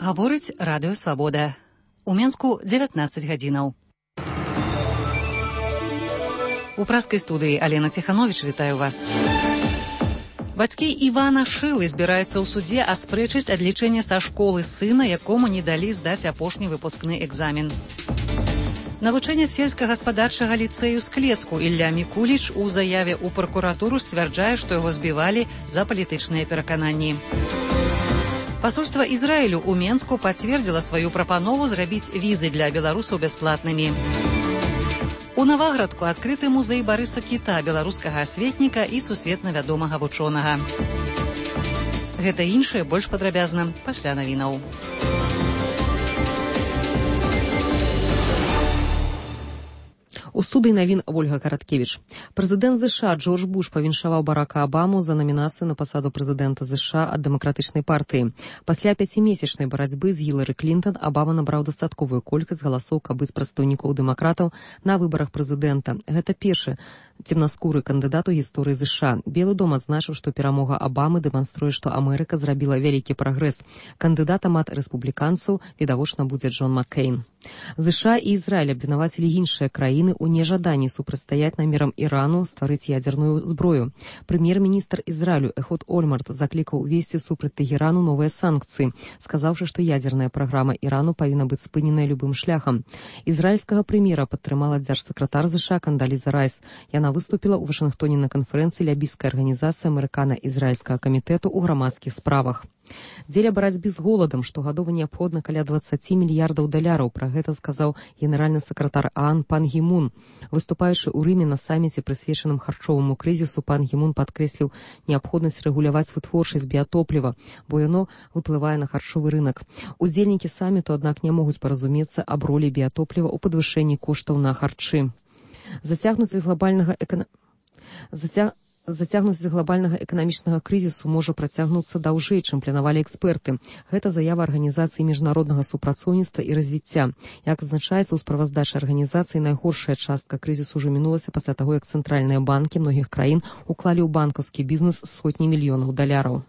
Гаворыць радыё «Свабода». У Менску 19 гадзінаў. У праскай студыі Алена Ціхановіч вітаю вас. Бацькі Івана Шылы збіраюцца ў судзе аспрэчыць адлічэнне са школы сына, якому не далі здаць апошні выпускны экзамен. Навучэнец сельскагаспадарчага ліцэю Склецку Ілля Мікуліч у заяве ў пракуратуру сцвярджае, што яго збівалі за палітычныя перакананні. Пасольства Ізраілю ў Менску пацвердзіла сваю прапанову зрабіць візы для беларусаў бясплатнымі. У Наваградку адкрыты музей Барыса Кіта, беларускага асветніка і сусветна вядомага вучонага. Гэта іншае больш падрабязна пасля навінаў. У студыі навін Ольга Караткевіч. Прэзідэнт ЗША Джордж Буш павіншаваў Барака Абаму за намінацыю на пасаду прэзідэнта ЗША ад дэмакратычнай партыі. Пасля 5-месячнай барацьбы з Гілары Клінтон Абама набраў дастатковую колькасць галасоў, каб быць прадстаўнікоў дэмакратаў на выбарах прэзідэнта. Гэта першы цемнаскуры кандыдат у гісторыі ЗША. Белы дом адзначыў, што перамога Абамы дэманструе, што Амерыка зрабіла вялікі прагрэс. Кандыдатам ад рэспубліканцаў відавочна будзе Джон Маккейн. ЗША і Ізраіль абвінавацілі іншыя краіны ў нежаданні супрацьстаяць намерам Ірану стварыць ядзерную зброю. Прэм'ер-міністр Ізраілю Эхуд Ольмарт заклікаў увесці супраць Тэгерану новыя санкцыі, сказаўшы, што ядзерная праграма Ірану павінна быць спыненая любым шляхам. Ізраільскага прэм'ера падтрымала дзяржсакратар ЗША Кандаліза Райс. Яна выступіла ў Вашынгтоне на канферэнцыі лябійскай арганізацыі амерыкана-ізраільскага камітэту ў грамадскіх справах. Дзеля барацьбы з голадам штогадова неабходна каля 20 мільярдаў даляраў. Пра гэта сказаў генеральны сакратар ААН пан Гі Мун. Выступаючы ў Рыме на саміце, прысвечаным харчоваму крызісу, пан Гі Мун падкрэсліў неабходнасць рэгуляваць вытворчасць біятопліва, бо яно ўплывае на харчовы рынак. Удзельнікі саміту, аднак, не могуць паразумецца аб ролі біятопліва ў падвышэнні коштаў на харчы. Зацягнуць глобальнага эканамічнага крызісу можа працягнуцца даўжэй, чым планавалі эксперты. Гэта заява Арганізацыі міжнароднага супрацоўніцтва і развіцця. Як адзначаецца ў справаздачы арганізацыі, найгоршая частка крызісу ўжо мінулася пасля таго, як цэнтральныя банкі многіх краін уклалі ў банкаўскі бізнес сотні мільёнаў даляраў.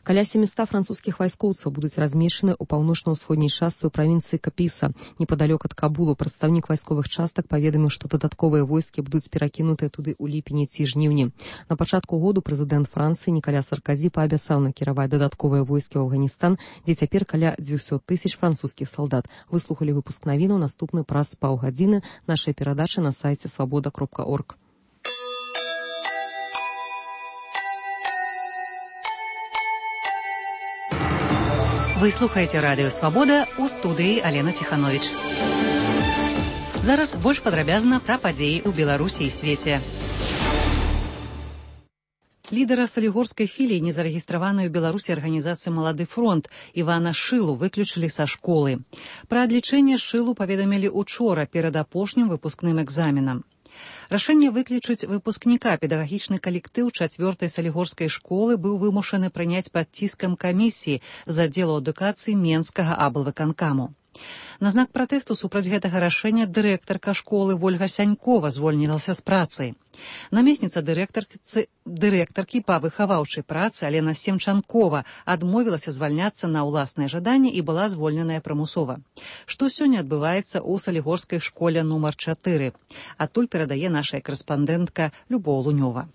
Каля 700 французскіх вайскоўцаў будуць размешчаны ў паўночна-ўсходняй частцы ў правінцыі Капіса, непадалёк ад Кабулу. Прадстаўнік вайсковых частак паведаміў, што дадатковыя войскі будуць перакінутыя туды ў ліпені ці жніўні. На пачатку году прэзідэнт Францыі Нікаля Сарказі паабяцаў накіраваць дадатковыя войскі ў Афганістан, дзе цяпер каля 200 000 французскіх салдат. Выслухалі выпуск навінаў, наступны праз паўгадзіны нашай перадачы на сайце свабода.орг. Вы слухаеце радыё «Свабода», у студыі Алена Ціхановіч. Зараз больш падрабязна пра падзеі ў Беларусі і свеце. Лідара салігорскай філіі незарэгістраванай у Беларусі арганізацыі «Малады фронт» Івана Шылу выключылі са школы. Пра адлічэнне Шылу паведамілі учора перад апошнім выпускным экзаменам. Рашэнне выключыць выпускніка педагагічны калектыў 4-й салігорскай школы быў вымушаны прыняць пад ціскам камісіі з аддзелу адукацыі Менскага аблвыканкаму. На знак пратэсту супраць гэтага рашэння дырэктарка школы Вольга Сянькова звольнілася з працы. Намесніца дырэктаркі па выхаваўчай працы Алена Семчанкова адмовілася звальняцца на ўласнае жаданне і была звольненая прымусова. Што сёння адбываецца ў салігорскай школе нумар 4? Адтуль перадае наша корэспандэнтка Любоў Лунёва.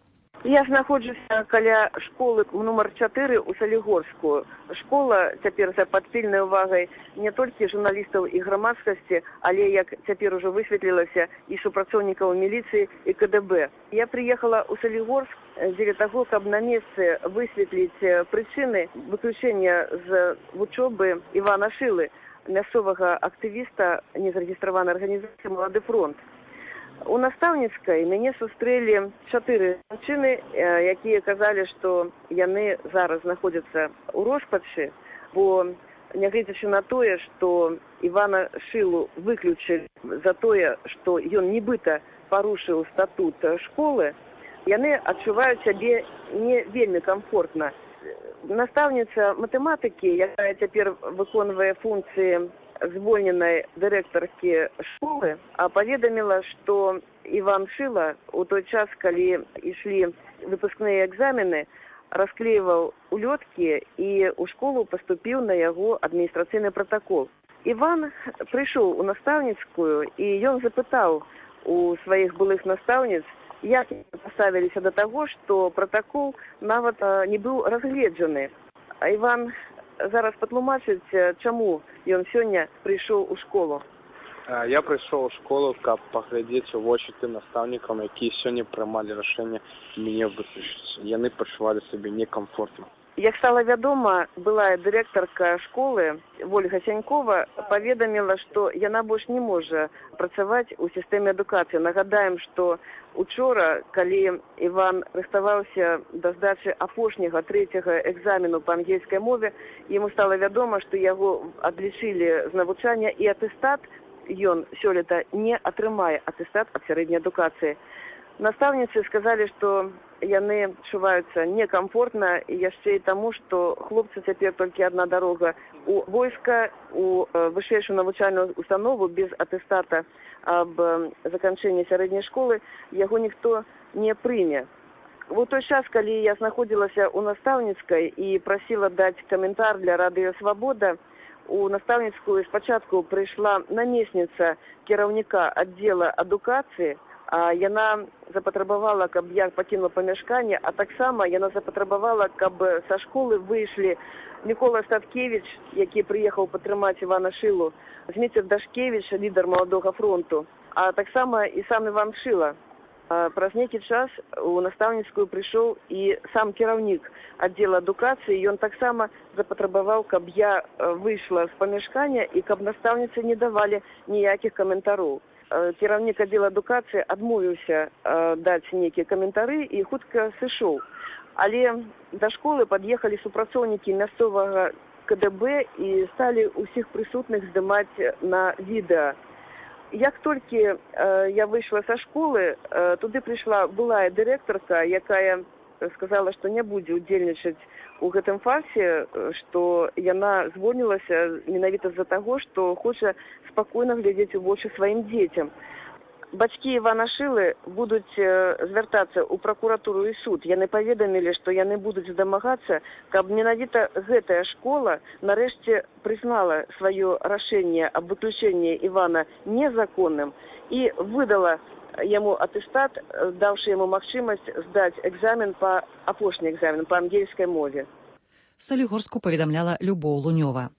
Я знаходжуся каля школы нумар 4 у Салігорску. Школа цяпер за падпільнай увагай не толькі журналістаў і грамадскасці, але, як цяпер ужо высветлілася, і супрацоўнікаў міліцыі і КДБ. Я прыехала ў Салігорск дзеля таго, каб на месцы высветліць прычыны выключэння з вучобы Івана Шылы, мясцовага актывіста незарэгістраванай арганізацыі «Малады фронт». У настаўніцкай мяне сустрэлі 4 жанчыны, якія казалі, што яны зараз знаходзяцца ў роспачы, бо нягледзячы на тое, што Івана Шылу выключылі за тое, што ён нібыта парушыў статут школы, яны адчуваюць сябе не вельмі камфортна. Настаўніца матэматыкі, якая цяпер выконвае функцыі звольненай дырэктаркі школы, паведаміла, што Іван Шыла у той час, калі ішлі выпускныя экзамены, расклеивал улетки, и у школу поступил на его административный протокол. Иван пришел у наставницкую, и он запытал у своих былых наставниц, як поставились до того, что протокол нават не был разгледжены. А Иван зараз патлумачыць, чаму ён сёння пришел у школу. Я прийшов у школу, каб паглядзець у вочы тым настаўнікам, якія сёння прымалі рашэнне мяне выключыць. Яны пачувалі сябе некамфортна. Як стала вядома, былая дырэктарка школы Ольга Сянькова паведаміла, што яна больш не можа працаваць у сістэме адукацыі. Нагадаем, што учора, калі Іван рыхтаваўся да здачы апошняга трэцяга экзамену па ангельскай мове, яму стала вядома, што яго адлічылі з навучання, і атэстат ён сёлета не атрымае, атэстат ад сярэдняй адукацыі. Настаўніцы сказалі, што яны чуваюцца некамфортна, і яшчэ і таму, што хлопцы цяпер толькі адна дарога у войска, у вышэйшую навучальную установу без атэстата аб заканчэнні сярэдняй школы, яго ніхто не прыме. У той час, калі я знаходзілася ў настаўніцкай і прасіла даць каментар для радыё «Свабода», у настаўніцкую спачатку прыйшла намесніца кіраўніка аддзела адукацыі, а яна запатрабавала, каб я пакінула памяшканне, а таксама яна запатрабавала, каб са школы выйшлі Мікола Статкевіч, які прыехаў падтрымаць Івана Шылу, Зміцер Дашкевіч, лідар Маладога фронту, а таксама і сам Іван Шыла. Праз нейкі час у настаўніцкую прыйшоў і сам кіраўнік аддзела адукацыі, ён таксама запатрабаваў, каб я выйшла з памяшкання і каб настаўніцы не давалі ніякіх каментароў. Кіраўнік аддзела адукацыі адмовіўся даць нейкія каментары і хутка сышоў. Але да школы пад'ехалі супрацоўнікі мясцовага КДБ і сталі ўсіх прысутных здымаць на відэа. Як толькі я выйшла са школы, туды прыйшла былая дырэктарка, якая сказала, што не будзе ўдзельнічаць у гэтым фарсе, што яна звольнілася менавіта з-за таго, што хоча спакойна глядзець у вочы сваім дзецям. Бацькі Івана Шылы будуць звяртацца ў пракуратуру і суд. Яны паведамілі, што яны будуць дамагацца, каб менавіта гэтая школа нарэшце прызнала сваё рашэнне аб выключэнні Івана незаконным і выдала яму атэстат, даўшы яму магчымасць здаць экзамен па апошні экзамен па ангельскай мове. Салігорску паведамляла Любоў Лунёва.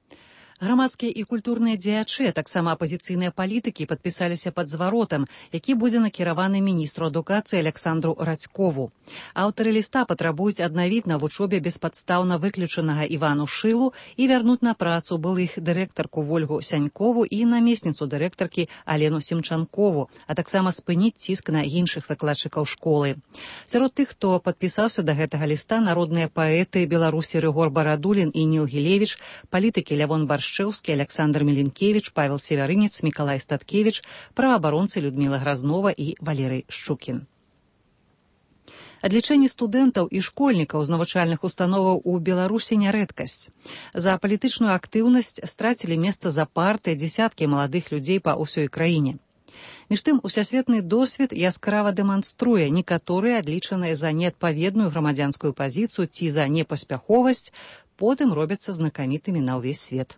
Грамадскія і культурныя дзеячы, таксама апазіцыйныя палітыкі падпісаліся пад зваротам, які будзе накіраваны міністру адукацыі Александру Радзькову. Аўтары ліста патрабуюць аднавіць на вучобе беспадстаўна выключанага Івану Шылу і вярнуць на працу былых дырэктарку Ольгу Сянькову і намесніцу дырэктаркі Алену Семчанкову, а таксама спыніць ціск на іншых выкладчыкаў школы. Сярод тых, хто падпісаўся да гэтага ліста, народныя паэты Беларусі Рыгор Барадулін і Ніл Гілевіч, палітыкі Лявон Баршчэўскі, Александр Меленкевич, Павел Севярынец, Мікалай Статкевич, праваабаронцы Людміла Гразнова і Валерый Шчукін. Адлічэнне студэнтаў і школьнікаў з навучальных установаў у Беларусі не рэдкасць. За палітычную актыўнасць страцілі месца за парты дзесяткі маладых людзей па ўсёй краіне. Між тым, усесветны досвед яскрава дэманструе, некаторыя адлічаныя за неадпаведную грамадзянскую пазіцыю ці за непаспяховасць потым робяцца знакамітымі на ўвесь свет.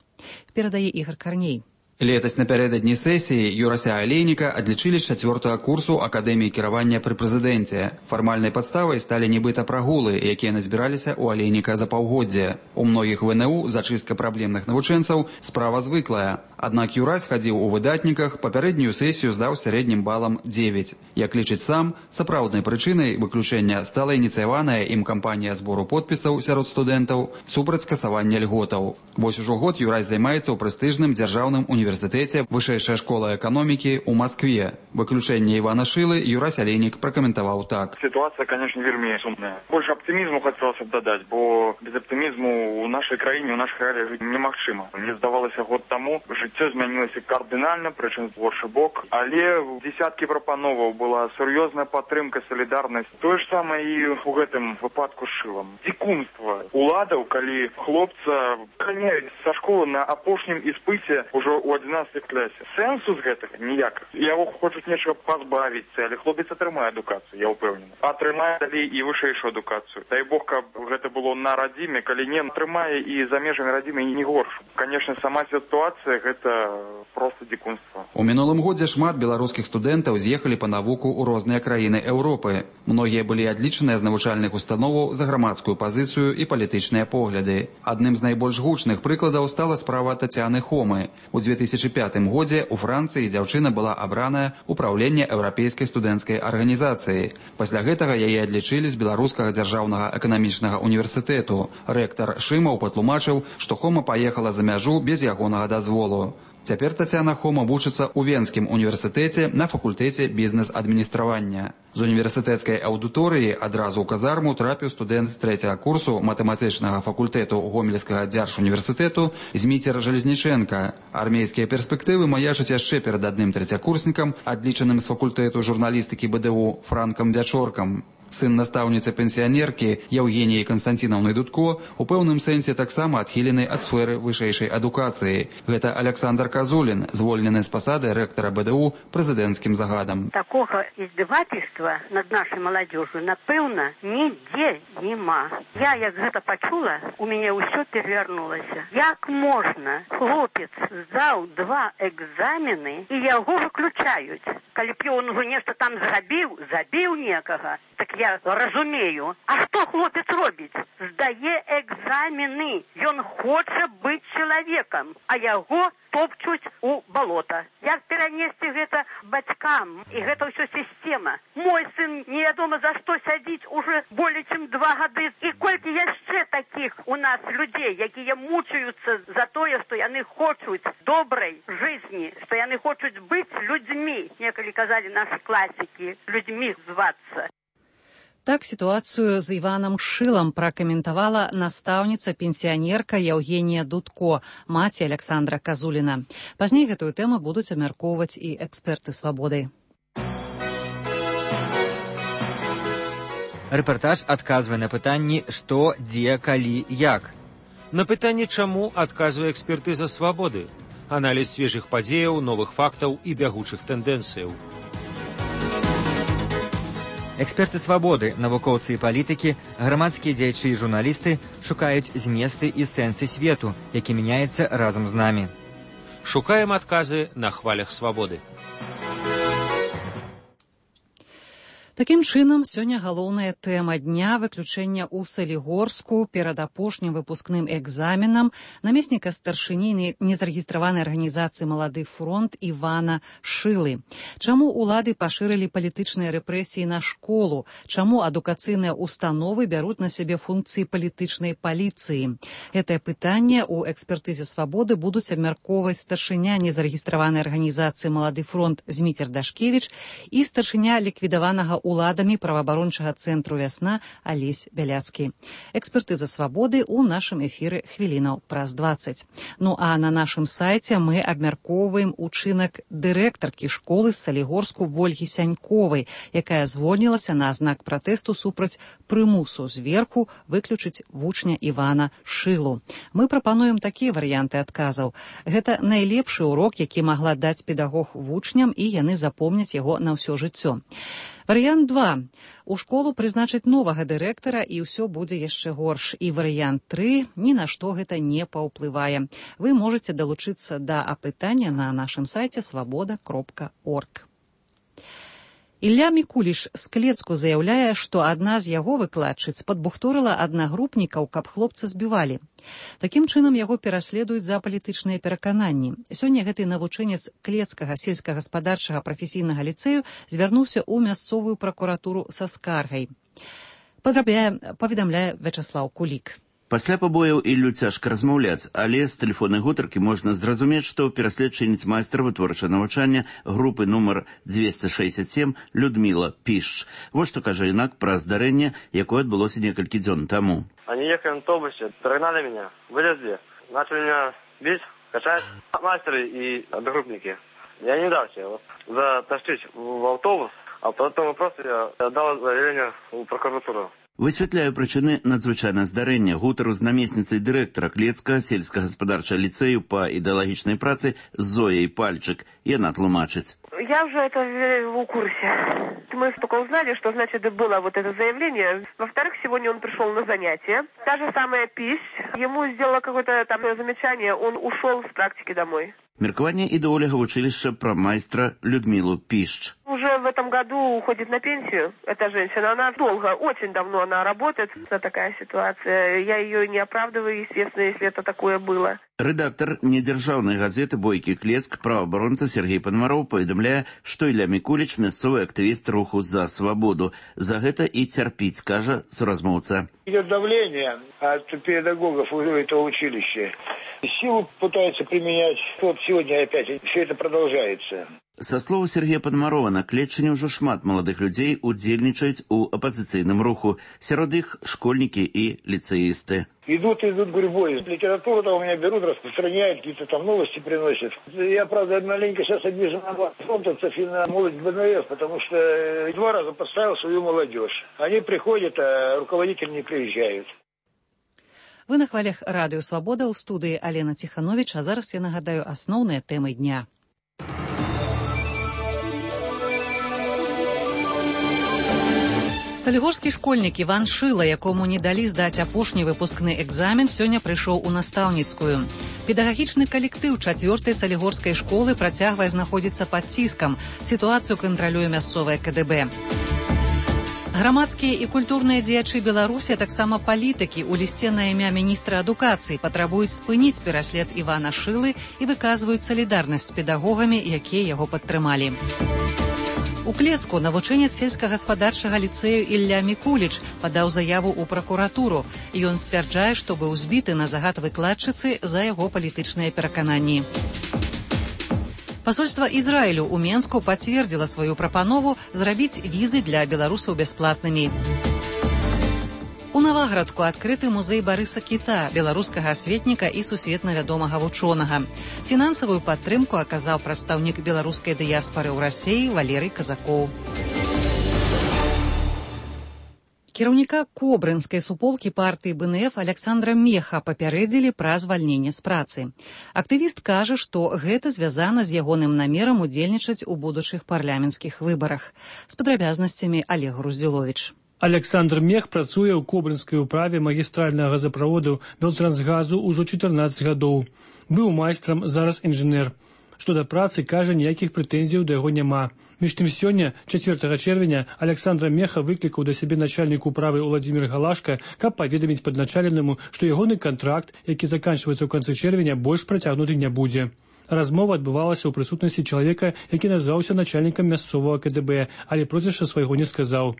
Перадае Ігор Карней. Летась напярэдадні сесіі Юрася Алейніка адлічылі з 4-го курсу Акадэміі кіравання пры прэзідэнце. Фармальнай падставай сталі нібыта прагулы, якія назбіраліся ў Алейніка за паўгоддзе. У многіх ВНУ зачыстка праблемных навучэнцаў справа звыклая. Аднак Юрась хадзіў у выдатніках, папярэднюю сесію здаў сярэднім балам 9. Як лічыць сам, сапраўднай прычынай выключэння стала ініцыяваная ім кампанія збору подпісаў сярод студэнтаў супраць скасавання льготаў. Вось ужо год Юрась займаецца ў прэстыжным дзяржаўным універсітэце Вышэйшая школа эканомікі ў Маскве. Выключэнне Івана Шылы Юрась Алейнік пракаментаваў так. Ситуация, конечно, вельмі сумная. Больше оптимизму хотелось бы додать, бо без оптимизму у нашей краіне, у наших реалиях жить немагчыма. Мне здавалося год тому, жыццё Жыццё змянілася кардынальна, прычым з горшы бок, але дзесяткі прапановаў была сур'ёзная падтрымка, салідарнасць. Тое ж самае і ў гэтым выпадку з шылам. Дзікунства уладаў, калі хлопца ганяюць са школы на апошнім іспыце ўжо ў 11 класе. Сэнсу з гэтага ніяк. Яго хочуць нечага пазбавіцца, але хлопец атрымае адукацыю, я ўпэўнены. Атрымае далей і вышэйшую адукацыю. Дай Бог, каб гэта было на радзіме, калі не атрымае і за межамі радзімы і не горш. Канешне, сама сітуацыя гэта проста дзікунства. У мінулым годзе шмат беларускіх студэнтаў з'ехалі па навуку ў розныя краіны Еўропы. Многія былі адлічаныя з навучальных установаў за грамадскую пазіцыю і палітычныя погляды. Адным з найбольш гучных прыкладаў стала справа Тацяны Хомы. У 2005 годзе у Францыі дзяўчына была абраная ў праўленне Еўрапейскай студэнцкай арганізацыі. Пасля гэтага яе адлічылі з Беларускага дзяржаўнага эканамічнага універсітэту. Рэктар Шымаў патлумачыў, што Хома паехала за мяжу без ягонага дазволу. Цяпер Тацяна Хома вучыцца ў Венскім універсітэце на факультэце бізнес-адміністравання. З універсітэцкай аўдыторыі адразу ў казарму трапіў студэнт 3-го курсу матэматычнага факультэту Гомельскага дзяржуніверсітэту Зміцер Жалезніченка. Армейскія перспектывы маячаць яшчэ перад адным трэцякурснікам, адлічаным з факультэту журналістыкі БДУ Франкам Вячоркам. Сын настаўніцы-пенсіянеркі Евгеніі Канстанцінаўны Дудко у пэўным сэнсе таксама адхілены ад сферы вышэйшай адукацыі. Гэта Александр Казулін, звольнены з пасады рэктара БДУ прэзідэнцкім загадам. Такога издевательства над нашей молодежью, напэўна, нідзе нема. Я, як гэта пачула, у мяне ўсё перавярнулася. Як можна? Хлопец здаў 2 экзамены і яго выключаюць. Калі б ён ужо нешта там забіў некага, так я разумею. А што хлопец робіць? Здае экзамены. Ён хоча быць чалавекам, а яго топчуць у балота. Як перанесці гэта бацькам? І гэта ўсё сістэма. Мой сын невядома за што сядзіць уже болей чым 2 гады. І колькі яшчэ такіх у нас людзей, якія мучаюцца за тое, што яны хочуць добрай жизни, што яны хочуць быць людзьмі. Некалі казалі нашы класікі, людзьмі звацца. Так сітуацыю з Іванам Шылам пракаментавала настаўніца-пенсіянерка Евгенія Дудко, маці Александра Казуліна. Пазней гэтую тэму будуць абмяркоўваць і эксперты «Свабоды». Рэпартаж адказвае на пытанні «Што, дзе, калі, як?». На пытанне «Чаму?» адказвае экспертыза «Свабоды». Аналіз свежых падзеяў, новых фактаў і бягучых тэндэнцыяў. Эксперты «Свабоды», навукоўцы і палітыкі, грамадскія дзеячы і журналісты шукаюць зместы і сэнсы свету, які мяняецца разам з намі. Шукаем адказы на хвалях «Свабоды». Такім чынам, сёння галоўная тэма дня выключэння ў Салігорску перад апошнім выпускным экзаменам намесніка старшыні незарэгістраванай арганізацыі «Малады фронт» Івана Шылы. Чаму улады пашырылі палітычныя рэпрэсіі на школу? Чаму адукацыйныя установы бяруць на сябе функцыі палітычнай паліцыі? Гэтае пытанне ў экспертызе «Свабоды» будуць абмяркоўваць старшыня незарэгістраванай арганізацыі «Малады фронт» Зміцер Дашкевіч і старшыня ліквідаванага уладамі праваабарончага цэнтру «Вясна» Алесь Бяляцкі. Экспертыза «Свабоды» ў нашым эфіры хвілінаў праз 20. Ну а на нашым сайце мы абмяркоўваем учынак дырэктаркі школы з Салігорску Вольгі Сяньковай, якая звольнілася на знак пратэсту супраць прымусу зверху выключыць вучня Івана Шылу. Мы прапануем такія варыянты адказаў. Гэта найлепшы урок, які магла даць педагог вучням, і яны запомняць яго на ўсё жыццё. Варыянт 2. У школу прызначыць новага дырэктара, і ўсё будзе яшчэ горш. І варыянт 3. Ні на што гэта не паўплывае. Вы можаце далучыцца да апытання на нашым сайце свабода.орг. Ілля Мікуліш з Клецку заяўляе, што адна з яго выкладчыц падбухторыла аднагрупнікаў, каб хлопца збівалі. Такім чынам яго пераследуюць за палітычныя перакананні. Сёння гэты навучэнец Клецкага сельскагаспадарчага прафесійнага ліцэю звярнуўся ў мясцовую пракуратуру са скаргай. Паведамляе Вячаслаў Кулік. Пасля пабояў Іллю цяжка размаўляць, але з тэлефоннай гутаркі можна зразумець, што пераследчыніц майстра вытворчага навучання групы нумар 267 Людміла Пішч. Вот што кажа інак пра здарэнне, якое адбылося некалькі дзён таму. Они ехали на автобусе, догнали меня, вылезли, начали меня бить, качать мастеры и одногруппники. Я не дал себе затащить в автобус, а по этому вопросу я дал заявление в прокуратуру. Высвятляю прычыны надзвычайнага здарэння. Гутару з намесніцай дырэктара Клецкага сельскагаспадарчага ліцэю па ідэалагічнай працы Зояй Пальчык. Яна тлумачыць. Я уже это в курсе. Мы только узнали, что, значит, было вот это заявление. Во-вторых, сегодня он пришел на занятия. Та же самая Пищ. Ему сделала какое-то там замечание, он ушел с практики домой. Меркаванне ідэоляга вучылішча пра майстра Людмилу Пищ. Уже в этом году уходит на пенсию эта женщина. Она долго, очень давно она работает. Это такая ситуация. Я ее не оправдываю, естественно, если это такое было. Рэдактар недзяржаўнай газеты «Бойкі Клецк», праваабаронца Сергей Панамароў паведамляе, што Ілля Мікуліч мясцовы актывіст руху «За свободу». За гэта і цярпіць, кажа суразмоўца. Идет давление от педагогов этого училища. Силу пытаются применять. Вот сегодня опять все это продолжается. Са слоў Сергея Панамарова, на Клетчыне ўжо шмат маладых людзей удзельнічаюць у апазіцыйным руху. Сярод іх школьнікі і ліцеісты. Идут гурьбой. Литературу там у меня берут, распространяют, какие-то там новости приносят. Я, правда, маленько сейчас обижен на фронтовцев и на молодь БНФ, потому что 2 раза поставил свою молодежь. Они приходят, а руководители не приезжают. Вы на хвалях Радыё Свабода, у студыі Алена Ціхановіч, а зараз я нагадаю асноўныя тэмы дня. Салігорскі школьнік Іван Шыла, якому не далі здаць апошні выпускны экзамен, сёння прыйшоў у настаўніцкую. Педагагічны калектыў 4-й салігорскай школы працягвае знаходзіцца пад ціскам. Сітуацыю кантралюе мясцовае КДБ. Грамадскія і культурныя дзеячы Беларусі, а таксама палітыкі у лісце на імя міністра адукацыі патрабуюць спыніць пераслед Івана Шылы і выказваюць салідарнасць з педагогамі, якія яго падтрымалі. У Клецку навучэнец сельскагаспадарчага ліцэю Ілля Мікуліч падаў заяву ў пракуратуру. Ён сцвярджае, што быў збіты на загад выкладчыцы за яго палітычныя перакананні. Пасольства Ізраілю ў Менску пацвердзіла сваю прапанову зрабіць візы для беларусаў бясплатнымі. У Наваградку адкрыты музей Барыса Кіта, беларускага асветніка і сусветна вядомага вучонага. Фінансавую падтрымку аказаў прадстаўнік беларускай дыяспары ў Расіі Валерый Казакоў. Кіраўніка кобрынскай суполкі партыі БНФ Александра Меха папярэдзілі пра звальненне з працы. Актывіст кажа, што гэта звязана з ягоным намерам удзельнічаць у будучых парламенцкіх выбарах. З падрабязнасцямі Олег Груздзіловіч. Александр Мех працуе ў кобрынскай управе магістральнага газаправоду Белтрансгазу ўжо 14 гадоў. Быў майстрам, зараз інжынер. Што да працы, кажа, ніякіх прэтэнзіяў да яго няма. Між тым сёння, 4 чэрвеня, Александра Меха выклікаў да сябе начальнік управы Владзімір Галашка, каб паведаміць падначаленаму, што ягоны кантракт, які заканчваецца ў канцы чэрвеня, больш працягнуты не будзе. Размова адбывалася ў прысутнасці чалавека, які назваўся начальнікам мясцовага КДБ, але прозвішча свайго не сказаў.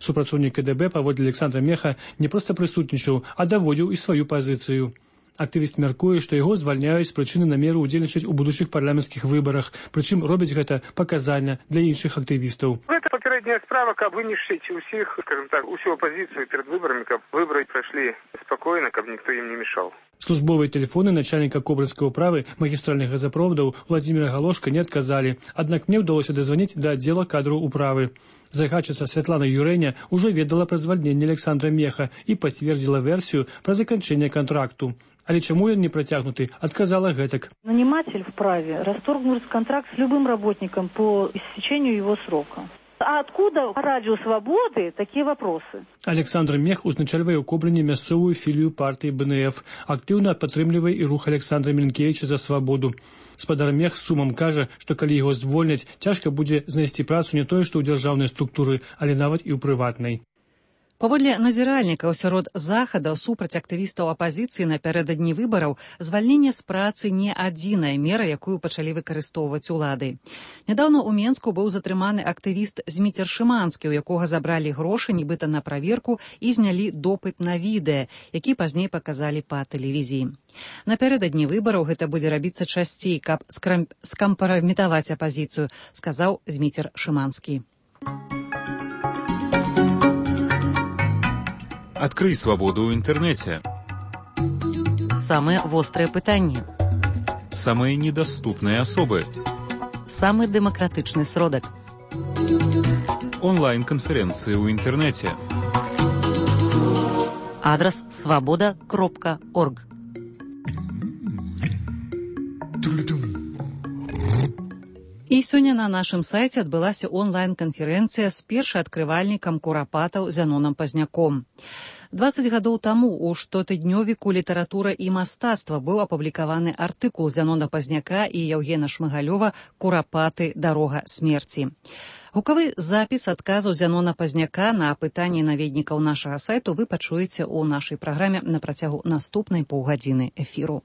Супрацоўнік КДБ паводле Александра Меха не проста прысутнічаў, а даводзіў і сваю пазіцыю. Актывіст мяркуе, што яго звальняюць з прычыны намеру ўдзельнічаць у будучых парламенцкіх выбарах, прычым робяць гэта паказальна для іншых актывістаў. Гэта папярэдняя справа, каб вынішчыць усіх, скажем так, усю апазіцыю перад выбарамі, каб выбары прайшлі спакойна, каб ніхто ім не мешаў. Службовыя тэлефоны начальніка кобрынскай управы магістральных газаправодаў Владзіміра Галошка не адказалі, аднак мне ўдалося дазваніць да аддзела кадраў управы. Загадчыца Святлана Юрэня ўжо ведала пра звальненне Александра Меха і пацвердзіла версію пра заканчэнне контракту. Але чаму ён не працягнуты, адказала гэтак. Наниматель вправе расторгнуть контракт с любым работником по истечению его срока. А откуда Радио Свободы такие вопросы? Александр Мех узначальвае ў Кобрыне мясцовую філію партыі БНФ. Актыўна падтрымлівае і рух Александра Мілінкевіча за свабоду. Спадар Мех з сумам кажа, што калі яго звольняць, цяжка будзе знайсці працу не тое, што ў дзяржаўнай структуры, але нават і ў прыватнай. Паводле назіральнікаў сярод захадаў супраць актывістаў апазіцыі напярэдадні выбараў, звальненне з працы не адзіная мера, якую пачалі выкарыстоўваць улады. Нядаўна ў Менску быў затрыманы актывіст Зміцер Шыманскі, у якога забралі грошы нібыта на праверку і знялі допыт на відэа, які пазней паказалі па тэлевізіі. Напярэдадні выбараў гэта будзе рабіцца часцей, каб скампраметаваць апазіцыю, сказаў Зміцер Шыманскі. Адкрый свабоду ў інтэрнэце. Самыя вострыя пытанні. самые недоступные особы. Самый демократичный сродок. Онлайн-конференции в интернете. Адрес svoboda.org. І сёння на нашым сайце адбылася онлайн-канферэнцыя з першаадкрывальнікам курапатаў Зяноном Пазняком. 20 гадоў таму у штотыднёвіку «Літаратура і мастацтва» быў апублікаваны артыкул Зянона Пазняка і Яўгена Шмыгалёва «Курапаты. Дарога смерці». Гукавы запіс адказаў Зянона Пазняка на пытанні наведнікаў нашага сайту вы пачуеце ў нашай праграме на працягу наступнай паўгадзіны эфіру.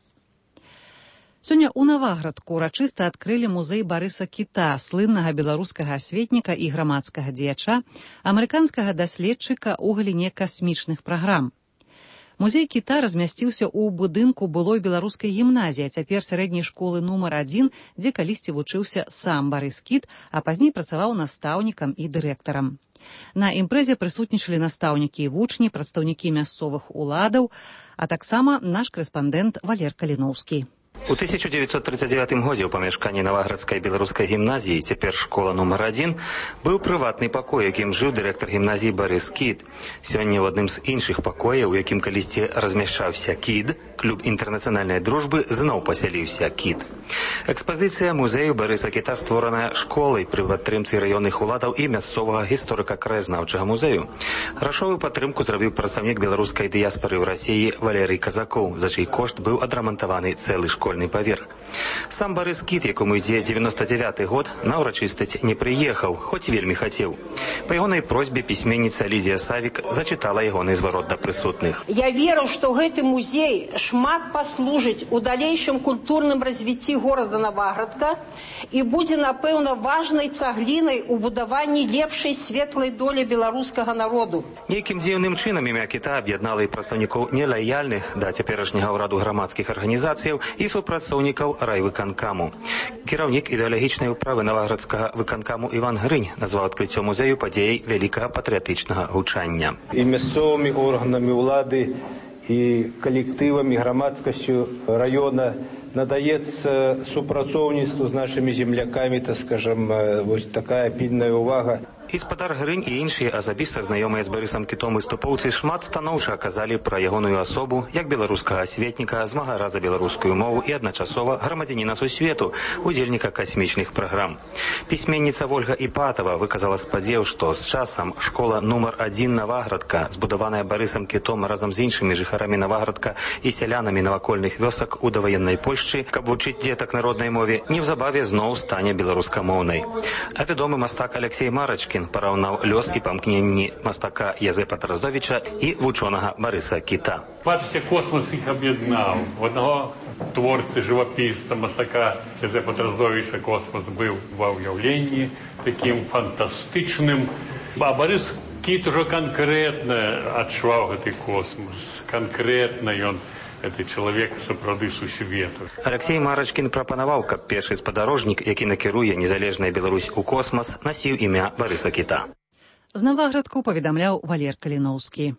Сёння ў Наваградку урачыста адкрылі музей Барыса Кіта, слыннага беларускага асветніка і грамадскага дзеяча, амерыканскага даследчыка ў галіне касмічных праграм. Музей Кіта размясціўся ў будынку былой беларускай гімназіі, а цяпер сярэдняй школы нумар 1, дзе калісьці вучыўся сам Барыс Кіт, а пазней працаваў настаўнікам і дырэктарам. На імпрэзе прысутнічалі настаўнікі і вучні, прадстаўнікі мясцовых уладаў, а таксама наш корэспандэнт Валер Каліноўскі. У 1939 годзе ў памяшканні Наваградскай беларускай гімназіі, цяпер школа нумар 1, быў прыватны пакой, якім жыў дырэктар гімназіі Барыс Кіт. Сёння ў адным з іншых пакояў, у якім калісьці размяшчаўся КІД, клуб інтэрнацыянальнай дружбы, зноў пасяліўся КІД. Экспазіцыя музею Барыса Кіта створаная школай пры падтрымцы раённых уладаў і мясцовага гісторыка-краязнаўчага музею. Грашовую падтрымку зрабіў прадстаўнік беларускай дыяспары ў Расіі Валерый Казакоў, за чый кошт быў адрамантаваны цэлы школьны паверх. Сам Барыс Кіт, якому ідзе 99-й год, на ўрачыстасць не прыехаў, хоць вельмі хацеў. Па ягонай просьбе пісьменніца Лізія Савік зачытала ягоны зварот да прысутных. Я веру, што гэты музей шмат паслужыць у далейшым культурным развіцці горада Наваградка і будзе, напэўна, важнай цаглінай у будаванні лепшай светлай долі беларускага народу. Нейкім дзіўным чынам імя Кіта аб'яднала і прадстаўнікоў нелаяльных да цяперашняга ўраду грамадскіх арганізацыяў і супрацоўнікаў райвыканкаму. Кіраўнік ідэалагічнай управы Наваградскага выканкаму Іван Грынь назваў адкрыццё музею падзеяй вялікага патрыятычнага гучання. І мясцовымі органамі ўлады, і калектывамі, грамадскасцю раёна надаецца супрацоўніцтву з нашымі землякамі, так скажам, вось такая пільная ўвага. І спадар Грынь і іншыя асабіста знаёмыя з Барысам Кітом выступоўцы шмат станоўча аказалі пра ягоную асобу як беларускага асветніка, змагара за беларускую мову і адначасова грамадзяніна сусвету, удзельніка касмічных праграм. Пісьменніца Вольга Іпатава выказала спадзеў, што з часам школа нумар 1 Наваградка, збудаваная Барысам Кітом разам з іншымі жыхарамі Наваградка і сялянамі навакольных вёсак у даваеннай Польшчы, каб вучыць дзетак на роднай мове, неўзабаве зноў стане беларускамоўнай. А вядомы мастак Алексей Марачкін параўнаў лёс і памкненні мастака Язэпа Тараздовіча і вучонага Барыса Кіта. Бачыце, космос іх аб'яднаў. У аднаго творцы, жывапісца, мастака Язэпа Тараздовіча космос быў ва ўяўленні такім фантастычным. А Барыс Кіт ужо канкрэтна адчуваў гэты космос. Канкрэтна ён гэты чалавек сапраўды сусвету. Алексей Марачкін прапанаваў, каб першы спадарожнік, які накіруе незалежная Беларусь у космас, насіў імя Барыса Кіта. З Наваградку паведамляў Валер Каліноўскі.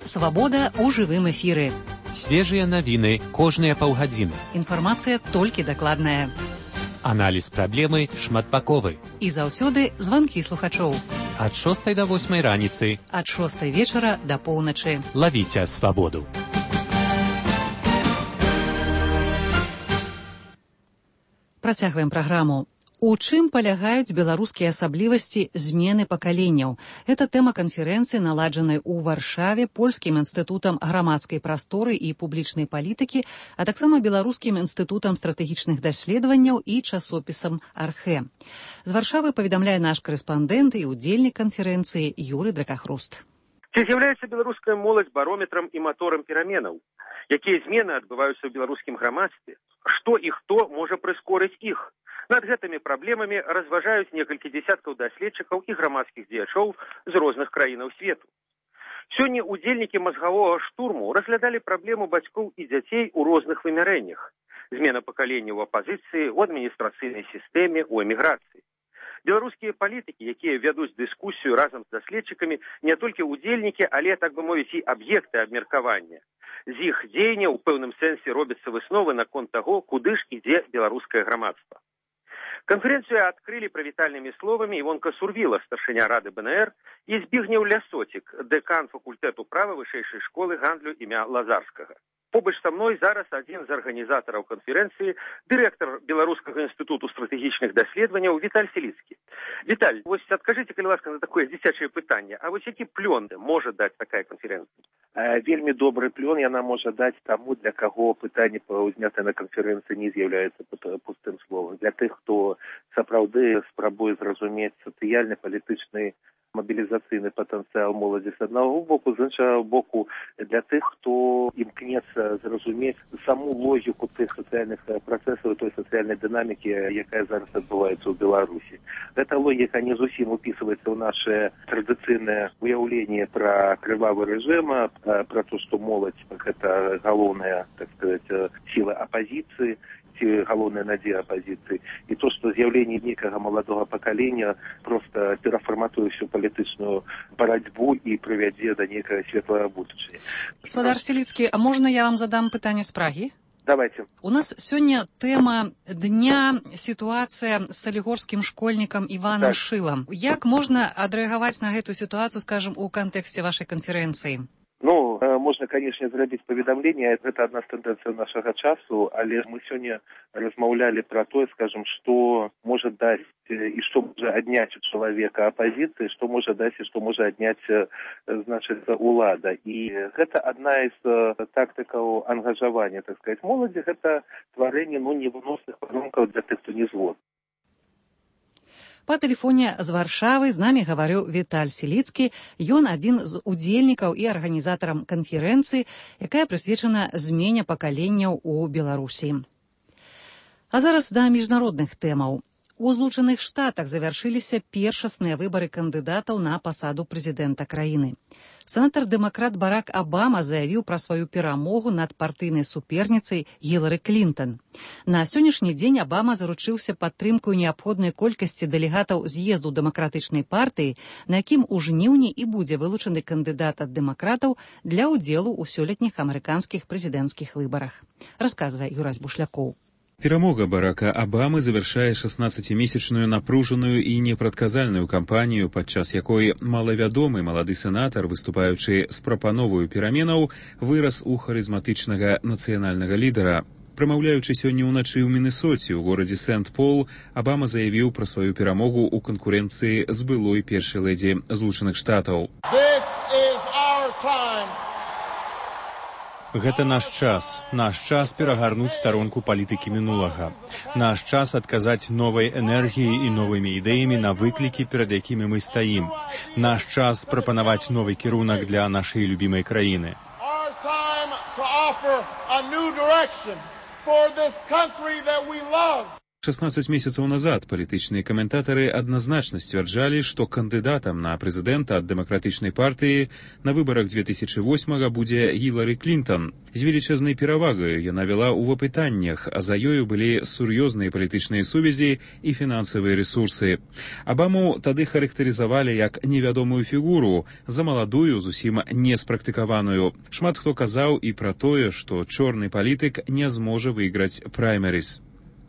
Свабода ў жывым эфіры. Свежыя навіны кожныя паўгадзіны. Інфармацыя толькі дакладная. Аналіз праблемы шматбаковы. І заўсёды званкі слухачоў. Ад 6 до 8 раніцы. Ад 6 вечара до поўначы. Лавіце свабоду. Працягваем праграму. У чым палягаюць беларускія асаблівасці змены пакаленняў? Гэта тэма канферэнцыі, наладжанай у Варшаве польскім інстытутам грамадскай прасторы і публічнай палітыкі, а таксама беларускім інстытутам стратэгічных даследаванняў і часопісам Архэ. З Варшавы паведамляе наш корэспандэнт і удзельнік канферэнцыі Юрый Дракахруст. Ці з'яўляецца беларуская моладзь барометрам і маторам пераменаў? Якія змены адбываюцца ў беларускім грамадстве? Што і хто можа прыскорыць іх? Над гэтымі праблемамі разважаюць некалькі дзесяткаў даследчыкаў і грамадскіх дзеячоў з розных краінаў свету. Сёння удзельнікі мазгавога штурму разглядалі праблему бацькоў і дзяцей у розных вымярэннях. Змена пакалення ў апазіцыі, у адміністрацыйнай сістэме, у эміграцыі. Беларускія палітыкі, якія вядуць дыскусію разам з даследчыкамі, не толькі удзельнікі, але, так бы мовіць, і аб'екты абмеркавання. З іх дзеянняў у пэўным сэнсе робяцца высновы наконт таго, куды ж ідзе беларускае грамадства. Канферэнцыю адкрылі прывітальнымі словамі Івонка Сурвіла, старшыня рады БНР, і Збігнеў Лясоцік, дэкан факультэту права вышэйшай школы гандлю імя Лазарскага. Побач са мной зараз адзін з арганізатараў канферэнцыі, дырэктар Беларускага інстытуту стратэгічных даследаванняў Віталь Селіцкі. Віталь, вось адкажыце, калі ласка, на такое дзіцячае пытанне, а вось які плён можа даць такая канферэнцыя? Вельмі добры плён яна можа даць таму, для каго пытанне узнятае на канферэнцыі не з'яўляецца пустым словам. Для тых, хто сапраўды спрабуе зразумець сацыяльны, палітычны, мобілізацыйны патэнцыял моладзі з аднаго боку, з іншага боку для тых, хто імкнецца зразумець саму логіку тых сацыяльных працэсаў, той сацыяльнай дынамікі, якая зараз адбываецца ў Беларусі. Гэта логіка не зусім упісваецца ў наше традыцыйнае уяўленне пра крывавы рэжым, пра то, што моладзь гэта галоўная, так сказаць, сіла апазіцыі, галоўная надзея апазіцыі. І то, што з'яўленне некага маладога пакалення проста перафарматуе всю палітычную барацьбу і прывядзе да некага светлага будучыні. Гаспадар Селіцкі, а можна я вам задам пытанне з Прагі? Давайте. У нас сёння тэма дня сітуацыя з салігорскім школьнікам Іванам Шылам. Як можна адрэагаваць на гэту сітуацыю, скажам, у кантэксце вашай канферэнцыі? Можна, канешне, зрабіць паведамленне, гэта адна з тэндэнцый нашага часу, але мы сёння размаўлялі пра тое, скажам, што можа даць і што можа адняць у чалавека апазіцыі, што можа даць і што можа адняць, значыць, улада. І гэта адна з тактыкаў ангажавання, так сказаць, моладзі, гэта стварэнне, невыносных warunków для тых, хто не згодны. Па тэлефоне з Варшавы з намі гаварыў Віталь Селіцкі. Ён адзін з удзельнікаў і арганізатарам канферэнцыі, якая прысвечана змене пакаленняў у Беларусі. А зараз да міжнародных тэмаў. У Злучаных Штатах завяршыліся першасныя выбары кандыдатаў на пасаду прэзідэнта краіны. Сенатар-дэмакрат Барак Абама заявіў пра сваю перамогу над партыйнай суперніцай Гілары Клінтон. На сённяшні дзень Абама заручыўся падтрымкаю неабходнай колькасці дэлегатаў з'езду дэмакратычнай партыі, на якім у жніўні і будзе вылучаны кандыдат ад дэмакратаў для ўдзелу ў сёлетніх амерыканскіх прэзідэнцкіх выбарах. Расказвае Юрась Бушлякоў. Перамога Барака Абамы завяршае 16-месячную напружаную і непрадказальную кампанію, падчас якой малавядомы малады сенатар, выступаючы з прапановаю пераменаў, вырас у харызматычнага нацыянальнага лідара. Прамаўляючы сёння ўначы ў Мінэсоце ў горадзе Сент-Пол, Абама заявіў пра сваю перамогу ў канкурэнцыі з былой першай лэдзі Злучаных Штатаў. Гэта наш час перагарнуць старонку палітыкі мінулага. Наш час адказаць новай энергіяй і новымі ідэямі на выклікі, перад якімі мы стаім. Наш час прапанаваць новы кірунак для нашай любімай краіны. 16 месяцаў назад палітычныя каментатары адназначна сцвярджалі, што кандыдатам на прэзідэнта ад дэмакратычнай партыі на выбарах 2008 будзе Гілары Клінтон. З велічазнай перавагаю яна вела ў апытаннях, а за ёю былі сур'ёзныя палітычныя сувязі і фінансавыя рэсурсы. Абаму тады характарызавалі як невядомую фігуру, за маладую, зусім не спрактыкаваную. Шмат хто казаў і пра тое, што чорны палітык не зможа выйграць праймерыс.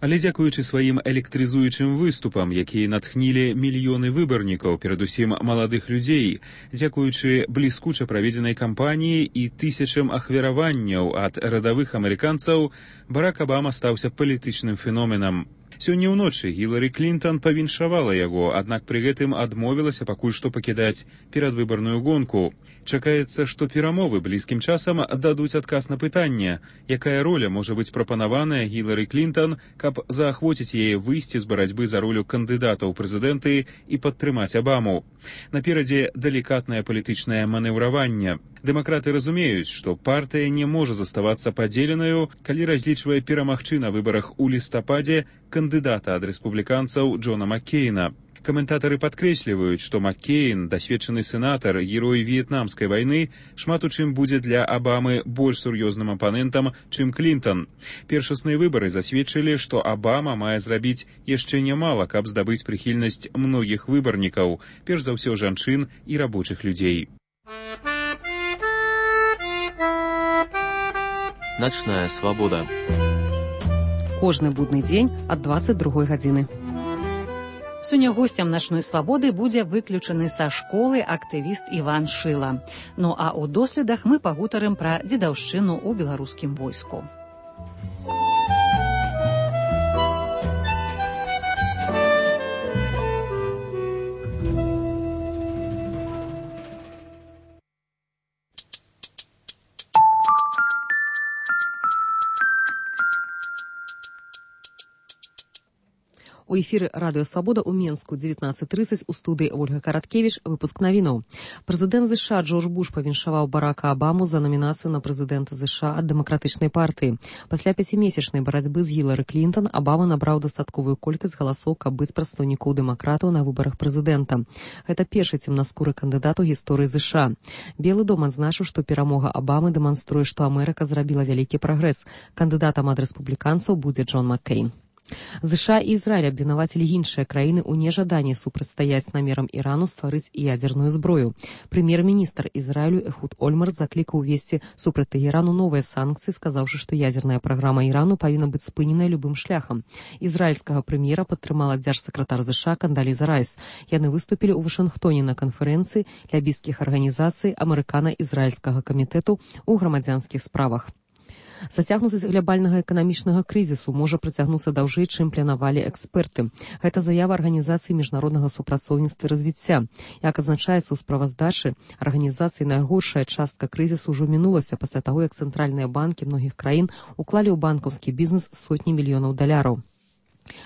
Але дзякуючы сваім электрызуючым выступам, якія натхнілі мільёны выбарнікаў, перадусім маладых людзей, дзякуючы бліскуча праведзенай кампаніі і тысячам ахвяраванняў ад радавых амерыканцаў, Барак Абама стаўся палітычным феноменам. Сёння ўночы Гілары Клінтон павіншавала яго, аднак пры гэтым адмовілася пакуль што пакідаць перадвыбарную гонку. Чакаецца, што перамовы блізкім часам дадуць адказ на пытанне, якая роля можа быць прапанаваная Гілары Клінтон, каб заахвоціць яе выйсці з барацьбы за ролю кандыдата ў прэзідэнты і падтрымаць Абаму. Наперадзе далікатнае палітычнае манеўраванне. Дэмакраты разумеюць, што партыя не можа заставацца падзеленаю, калі разлічвае перамагчы на выбарах у лістападзе кандыдата ад рэспубліканцаў Джона Маккейна. Каментатары падкрэсліваюць, што Маккейн, дасведчаны сенатар, герой в'етнамскай вайны, шмат у чым будзе для Абамы больш сур'ёзным апанентам, чым Клінтон. Першасныя выбары засведчылі, што Абама мае зрабіць яшчэ нямала, каб здабыць прыхільнасць многіх выбарнікаў, перш за ўсё жанчын і рабочых людзей. Начная свабода. Кожны будны дзень ад 22 гадзіны. Сёння госцем начной свабоды будзе выключаны са школы актывіст Іван Шыла. Ну а ў доследах мы пагутарым пра дзедаўшчыну ў беларускім войску. У эфіры радыё «Свабода» ў Менску 19:30 у студыі Ольга Караткевіч, выпуск навінаў. Прэзідэнт США Джордж Буш павіншаваў Барака Абаму за намінацыю на прэзідэнта США ад дэмакратычнай партыі. Пасля 5-месячнай барацьбы з Гілары Клінтон Абама набраў дастатковую колькасць галасоў, каб быць прадстаўнікоў дэмакратаў на выбарах прэзідэнта. Гэта першы цемнаскуры кандыдат у гісторыі США. Белы дом адзначыў, што перамога Абамы дэманструе, што Амерыка зрабіла вялікі прагрэс. Кандыдатам ад рэспубліканцаў будзе Джон Маккейн. США і Ізраіль абвінавацілі іншыя краіны ў нежаданні супрацьстаяць намерам Ірану стварыць ядзерную зброю. Прэм'ер-міністр Ізраілю Эхуд Ольмарт заклікаў увесці супраць Тэгэрану новыя санкцыі, сказаўшы, што ядзерная праграма Ірану павінна быць спыненая любым шляхам. Ізраільскага прэм'ера падтрымала дзяржсакратар США Кандаліза Райс. Яны выступілі ў Вашынгтоне на канферэнцыі лябійскіх арганізацый амерыкана-ізраільскага камітэту ў грамадзянскіх справах. Зацягнутасць глобальнага эканамічнага крызісу можа працягнуцца даўжэй, чым планавалі эксперты. Гэта заява Арганізацыі міжнароднага супрацоўніцтва і развіцця. Як адзначаецца ў справаздачы, арганізацыі найгоршая частка крызісу ўжо мінулася пасля таго, як цэнтральныя банкі многіх краін уклалі ў банкаўскі бізнес сотні мільёнаў даляраў.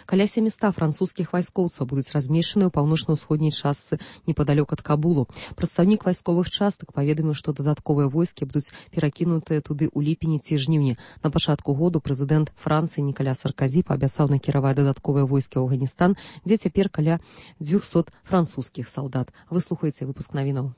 Каля 700 французскіх вайскоўцаў будуць размешчаны ў паўночна-ўсходняй частцы непадалёк ад Кабулу. Прадстаўнік вайсковых частак паведаміў, што дадатковыя войскі будуць перакінутыя туды ў ліпені ці жніўні. На пачатку году прэзідэнт Францыі Нікаля Сарказі паабяцаў накіраваць дадатковыя войскі ў Афганістан, дзе цяпер каля 200 французскіх салдат. Выслухайце выпуск навінаў.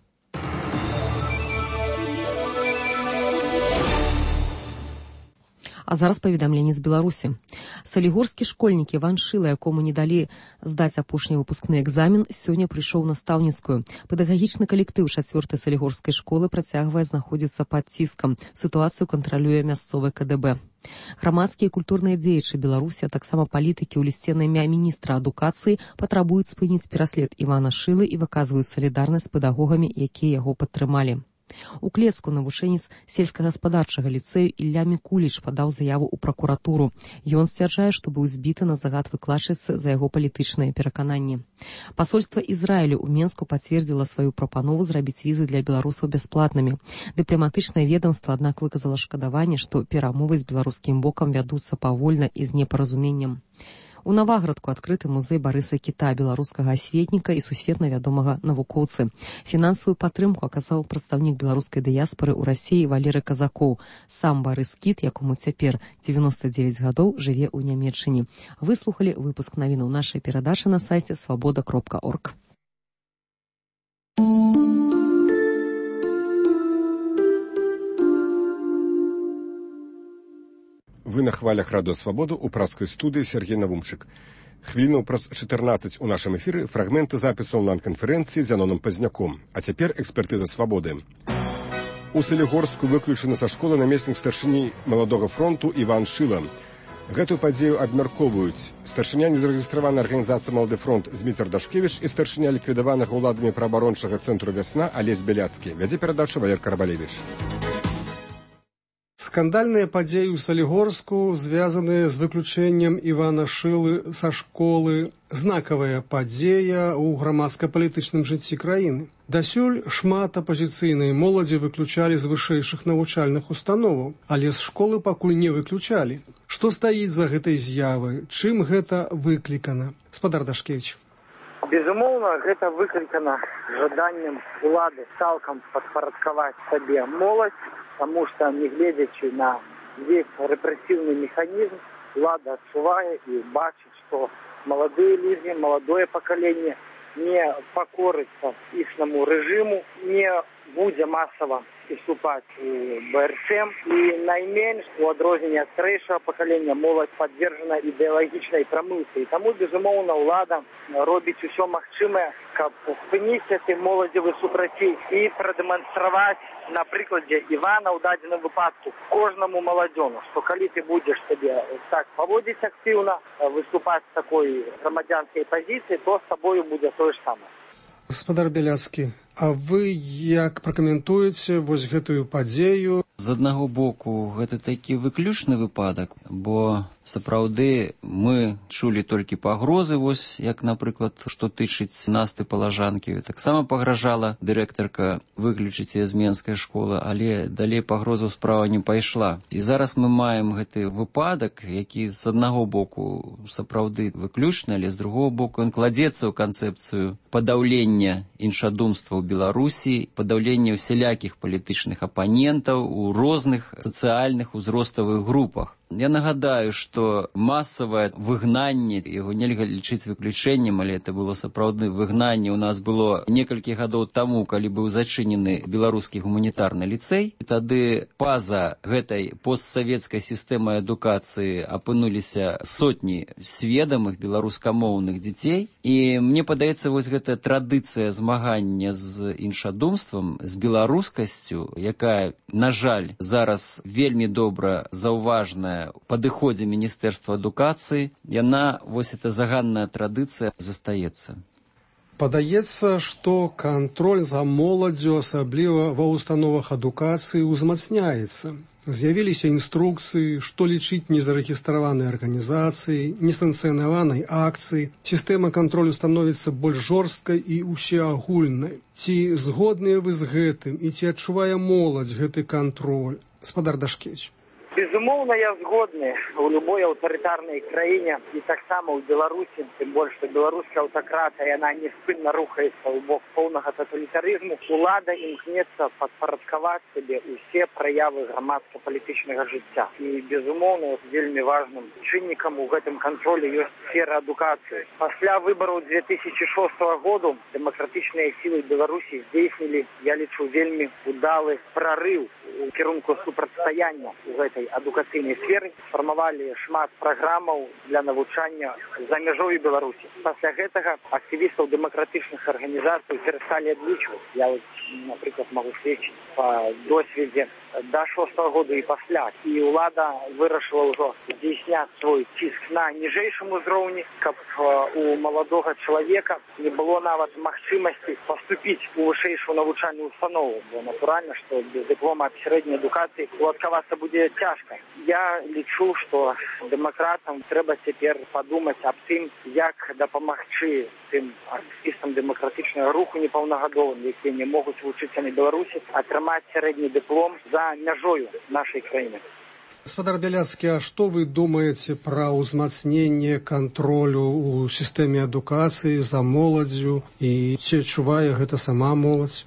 А зараз паведамленне з Беларусі. Салігорскі школьнік Іван Шыла, якому не далі здаць апошні выпускны экзамен, сёння прыйшоў настаўніцкую. Педагагічны калектыў 4-й салігорскай школы працягвае знаходзіцца пад ціскам. Сітуацыю кантралюе мясцовы КДБ. Грамадскія і культурныя дзеячы Беларусі, а таксама палітыкі ў лісце на імя міністра адукацыі патрабуюць спыніць пераслед Івана Шылы і выказваюць салідарнасць з педагогамі, якія яго падтрымалі. У Клецку навучэнец сельскагаспадарчага ліцэю Ілля Мікуліч падаў заяву ў пракуратуру. Ён сцвярджае, што быў збіты на загад выкладчыцы за яго палітычныя перакананні. Пасольства Ізраілю ў Менску пацвердзіла сваю прапанову зрабіць візы для беларусаў бясплатнымі. Дыпламатычнае ведамства, аднак, выказала шкадаванне, што перамовы з беларускім бокам вядуцца павольна і з непаразуменнем. У Наваградку адкрыты музей Барыса Кіта, беларускага асветніка і сусветна вядомага навукоўцы. Фінансавую падтрымку аказаў прадстаўнік беларускай дыяспары ў Расіі Валерый Казакоў. Сам Барыс Кіт, якому цяпер 99 гадоў, жыве ў Нямецчыне. Выслухалі выпуск навінаў нашай перадачы на сайце свабода.орг. Вы на хвалях радыё «Свабоду» у праскай студыі Сергей Навумчык. Хвілінаў праз 14 у нашым эфіры фрагменты запісу онлайн-канферэнцыі з Яноном Пазняком. А цяпер экспертыза «Свабоды». У Салігорску выключаны са школы намеснік старшыні маладога фронту Іван Шыла. Гэтую падзею абмяркоўваюць старшыня незарэгістраванай арганізацыі «Малады фронт» Зміцер Дашкевіч і старшыня ліквідаванага ўладамі праабарончага цэнтру «Вясна» Алесь Бяляцкі. Вядзе перадачу Валер Карабалевіч. Скандальныя падзеі ў Салігорску, звязаныя з выключэннем Івана Шылы са школы, знакавая падзея ў грамадска-палітычным жыцці краіны. Дасюль шмат апазіцыйнай моладзі выключалі з вышэйшых навучальных установаў, але з школы пакуль не выключалі. Што стаіць за гэтай з'явай? Чым гэта выклікана? Спадар Дашкевіч. Безумоўна, гэта выклікана жаданнем улады цалкам падпарадкаваць сабе моладзь, потому что, не глядячи на весь репрессивный механизм, влада отчувает и бачит, что молодые люди, молодое поколение не пакорыцца іхнаму рэжыму, не будзе масава уступаць у БРЦ. І найменш, у адрозненне ад старэйшага пакалення, моладзь падвержана ідэалагічнай прамылцы. І таму, безумоўна, ўлада робіць усё магчымае, каб спыніць гэты моладзевы супрацей і прадэманстраваць на прыкладзе Івана ў дадзеным выпадку кожнаму маладзёну, што калі ты будзеш сабе так паводзіць актыўна, выступаць з такой грамадзянскай пазіцыі, то з табою будзе тое ж самае. Гаспадар Бяляцкі, а вы як пракаментуеце вось гэтую падзею? З аднаго боку, гэта такі выключны выпадак, бо сапраўды мы чулі толькі пагрозы, вось як, напрыклад, што тычыць Насты Палажанкі. Таксама пагражала дырэктарка выключыць з Менскай школы, але далей пагрозаў справа не пайшла. І зараз мы маем гэты выпадак, які з аднаго боку сапраўды выключны, але з другого боку ён кладзецца ў канцэпцыю падаўлення іншадумства ў Беларусі, падаўлення ўсялякіх палітычных апанентаў у розных сацыяльных узроставых групах. Я нагадаю, што масавае выгнанне, яго нельга лічыць выключэннем, але это было сапраўднае выгнанне. У нас было некалькі гадоў таму, калі быў зачынены беларускі гуманітарны ліцэй. І тады па-за гэтай постсавецкай сістэмай адукацыі апынуліся сотні сведамых беларускамоўных дзяцей. І мне падаецца, вось гэтая традыцыя змагання з іншадумствам, з беларускасцю, якая, на жаль, зараз вельмі добра заўважная у падыходзе Міністэрства адукацыі, яна, вось эта заганная традыцыя, застаецца. Падаецца, што кантроль за моладдзю, асабліва ва ўстановах адукацыі, узмацняецца. З'явіліся інструкцыі, што лічыць незарэгістраванай арганізацыі, несанкцыянаванай акцыі. Сістэма кантролю становіцца больш жорсткай і усеагульнай. Ці згодныя вы з гэтым і ці адчувае моладзь гэты кантроль? Гаспадар Дашкевіч. Безумоўна, я згодны. У любой аўтарытарнай краіне і таксама ў Беларусі, тым больш, што беларуская аўтакратыя, яна неспынна рухаецца ў бок поўнага таталітарызму. Улада імкнецца падпарадкаваць сабе ўсе праявы грамадска-палітычнага жыцця. І, безумоўна, вельмі важным чыннікам у гэтым кантролі ёсць сфера адукацыі. Пасля выбараў 2006 году дэмакратычныя сілы Беларусі здзейснілі, я лічу, вельмі удалы прарыў у кірунку супрацьстаяння ў гэтай адукацыйнай сферы, фармавалі шмат праграмаў для навучання за мяжою Беларусі. Пасля гэтага актывістаў дэмакратычных арганізацый перасталі адлічваць. Я, напрыклад, магу сведчыць па досведзе да 6-го года і пасля. І ўлада вырашыла ўжо здзейсняць свой ціск на ніжэйшым узроўні, каб у маладога чалавека не было нават магчымасці паступіць у вышэйшую навучальную установу. Бо натуральна, што без дыплома аб сярэдняй адукацыі уладкавацца будзе цяжка. Я лічу, што дэмакратам трэба цяпер падумаць аб тым, як дапамагчы тым актывістам дэмакратычнага руху непаўнагадовым, якія не могуць вучыцца на Беларусі, атрымаць сярэдні дыплом за мяжою нашай краіны. Гаспадар Бяляцкі, а што вы думаеце пра ўзмацненне кантролю ў сістэме адукацыі за моладдзю і ці адчувае гэта сама моладзь?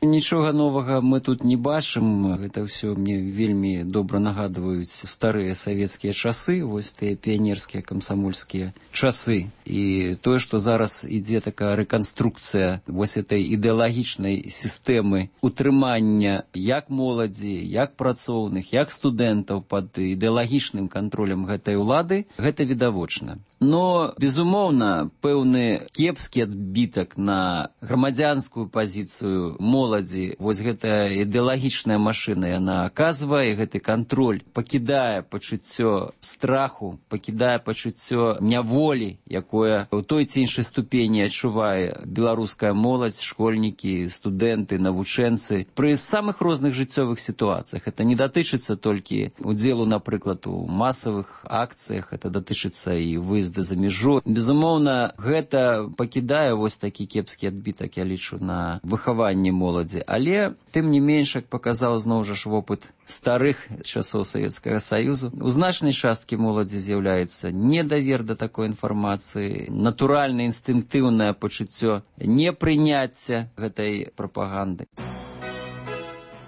Нічога новага мы тут не бачым. Гэта ўсё мне вельмі добра нагадваюць старыя савецкія часы, вось тыя піянерскія камсамольскія часы. І тое, што зараз ідзе такая рэканструкцыя вось этой ідэалагічнай сістэмы утрымання як моладзі, як працоўных, як студэнтаў пад ідэалагічным кантролем гэтай улады, гэта відавочна. Но, безумоўна, пэўны кепскі адбітак на грамадзянскую пазіцыю моладзі, вось гэтая ідэалагічная машына, яна аказвае, гэты кантроль пакідае пачуццё страху, пакідае пачуццё няволі, якое ў той ці іншай ступені адчувае беларуская моладзь, школьнікі, студэнты, навучэнцы пры самых розных жыццёвых сітуацыях. Это не датычыцца толькі удзелу, напрыклад, у масавых акцыях, это датычыцца і выезда за мяжу. Безумоўна, гэта пакідае вось такі кепскі адбітак, я лічу, на выхаванне моладзі. Але, тым не менш, як паказаў зноў жа ж вопыт старых часоў Савецкага Саюзу, у значнай часткі моладзі з'яўляецца недавер да такой інфармацыі, натуральна інстынктыўнае пачуццё непрыняцця гэтай прапаганды.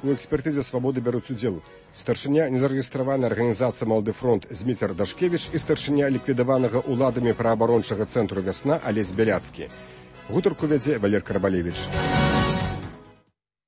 У экспертызе «Свабоды» бяруць удзел старшыня незарэгістраванай арганізацыі «Малады фронт» Зміцер Дашкевіч і старшыня ліквідаванага ўладамі праабарончага цэнтру «Вясна» Алесь Бяляцкі. Гутарку вядзе Валер Карабалевіч.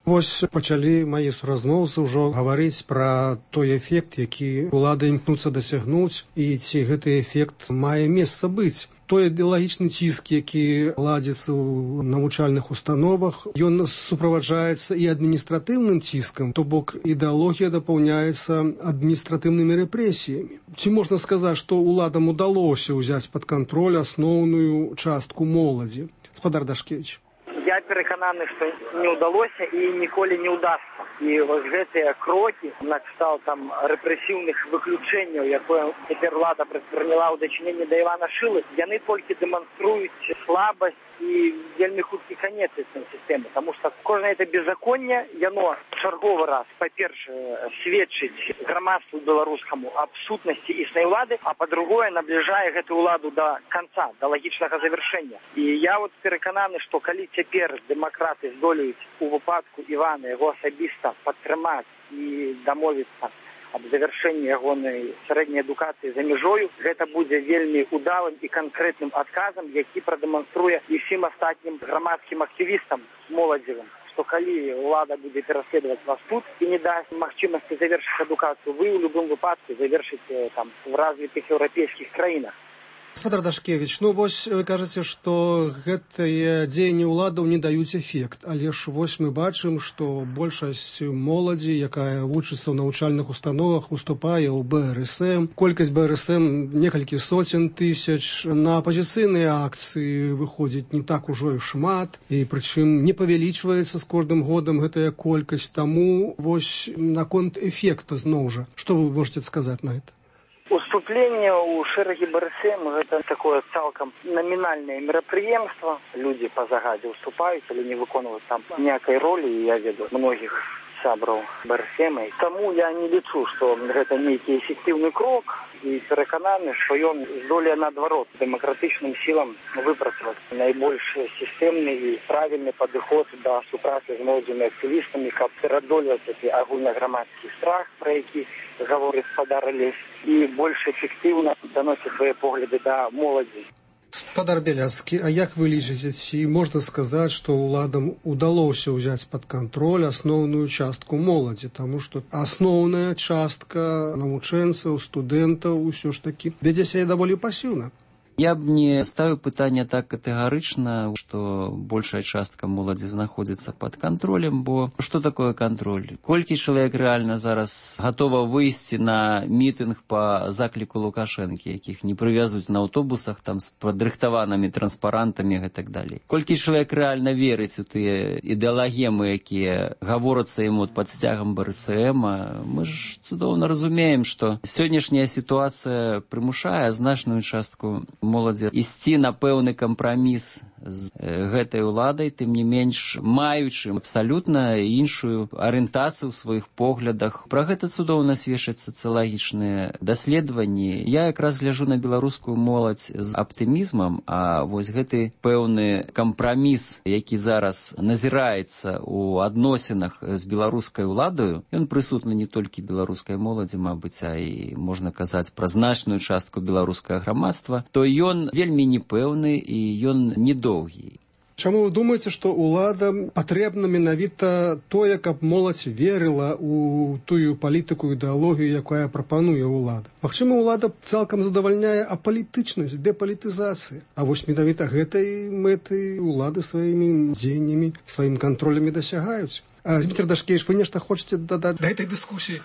Вось пачалі мае суразмоўцы ўжо гаварыць пра той эфект, які ўлады імкнуцца дасягнуць, і ці гэты эфект мае месца быць. Той ідэалагічны ціск, які ладзіцца ў навучальных установах, ён суправаджаецца і адміністратыўным ціскам, то бок ідэалогія дапаўняецца адміністратыўнымі рэпрэсіямі. Ці можна сказаць, што ўладам удалося ўзяць пад кантроль асноўную частку моладзі? Гаспадар Дашкевіч. Я перакананы, што не ўдалося і ніколі не ўдасца. І вось гэтыя крокі на кшталт там рэпрэсіўных выключэнняў, якое цяпер ўлада прадпрыняла ў дачыненні да Івана Шылы, яны толькі дэманструюць слабасць і вельмі хуткі канец этой сістэмы. Таму што кожнае это беззаконне, яно чарговы раз, па-першае, сведчыць грамадству беларускаму аб сутнасці існай улады, а па-другое, набліжае гэтую ўладу да канца, да лагічнага завяршэння. І я вот перакананы, што калі цяпер дэмакраты здолеюць у выпадку Івана яго асабіста падтрымаць і дамовіцца аб завяршэнні ягонай сярэдняй адукацыі за мяжою, гэта будзе вельмі удалым і канкрэтным адказам, які прадэманструе і ўсім астатнім грамадскім актывістам моладзевым, што калі ўлада будзе пераследаваць вас тут і не дасць магчымасці завершыць адукацыю, вы ў любым выпадку завершыце там в развітых еўрапейскіх краінах. Гаспадар Дашкевіч, ну вось вы кажаце, што гэтыя дзеянні ўладаў не даюць эфект, але ж вось мы бачым, што большасць моладзі, якая вучыцца ў навучальных установах, уступае ў БРСМ. Колькасць БРСМ некалькі соцень тысяч. На апазіцыйныя акцыі выходзіць не так ужо і шмат, і прычым не павялічваецца з кожным годам гэтая колькасць. Таму вось наконт эфекта зноў жа. Што вы можаце сказаць на гэта? Уступленне ў шэрагі БРСМ гэта такое цалкам намінальнае мерапрыемства. Людзі па загадзе уступаюць, але не выконваюць там ніякай ролі, і я ведаю многіх сябраў БРСМ. Таму я не лічу, што гэта нейкі эфектыўны крок, і перакананы, што ён здолее наадварот дэмакратычным сілам выпрацаваць найбольш сістэмны і правільны падыход да супрацы з моладзевымі актывістамі, каб пераадольваць гэты агульнаграмадскі страх, пра які гаворыць гаспадар Алесь, і больш эфектыўна даносіць свае погляды да моладзі. Гаспадар Бяляцкі, а як вы лічыце, ці можна сказаць, што ўладам удалося ўзяць пад кантроль асноўную частку моладзі, таму што асноўная частка навучэнцаў, студэнтаў усё ж такі вядзе сябе даволі пасіўна? Я б не ставіў пытанне так катэгарычна, што большая частка моладзі знаходзіцца пад кантролем, бо што такое кантроль? Колькі чалавек рэальна зараз гатова выйсці на мітынг па закліку Лукашэнкі, якіх не прывязуць на аўтобусах там з падрыхтаванымі транспарантамі і так далей? Колькі чалавек рэальна верыць у тыя ідэалагемы, якія гаворацца ім пад сцягам БРСМ? Мы ж цудоўна разумеем, што сённяшняя сітуацыя прымушае значную частку моладзі ісці на пэўны кампраміс з гэтай уладай, тым не менш маючы абсалютна іншую арыентацыю ў сваіх поглядах. Пра гэта цудоўна сведчаць сацыялагічныя даследаванні. Я якраз гляджу на беларускую моладзь з аптымізмам, а вось гэты пэўны кампраміс, які зараз назіраецца ў адносінах з беларускай уладаю, ён прысутны не толькі беларускай моладзі, мабыць, а і можна казаць пра значную частку беларускага грамадства, то ён вельмі непэўны і ён недоўгі. Чаму вы думаеце, што ўладам патрэбна менавіта тое, каб моладзь верыла ў тую палітыку, ідэалогію, якая прапануе ўлада? Магчыма, ўлада цалкам задавальняе апалітычнасць, дэпалітызацыя. А вось менавіта гэтай мэты ўлады сваімі дзеяннямі, сваім кантролямі дасягаюць. Зміцер Дашкевіч, вы нешта хочаце дадаць да гэтай дыскусіі?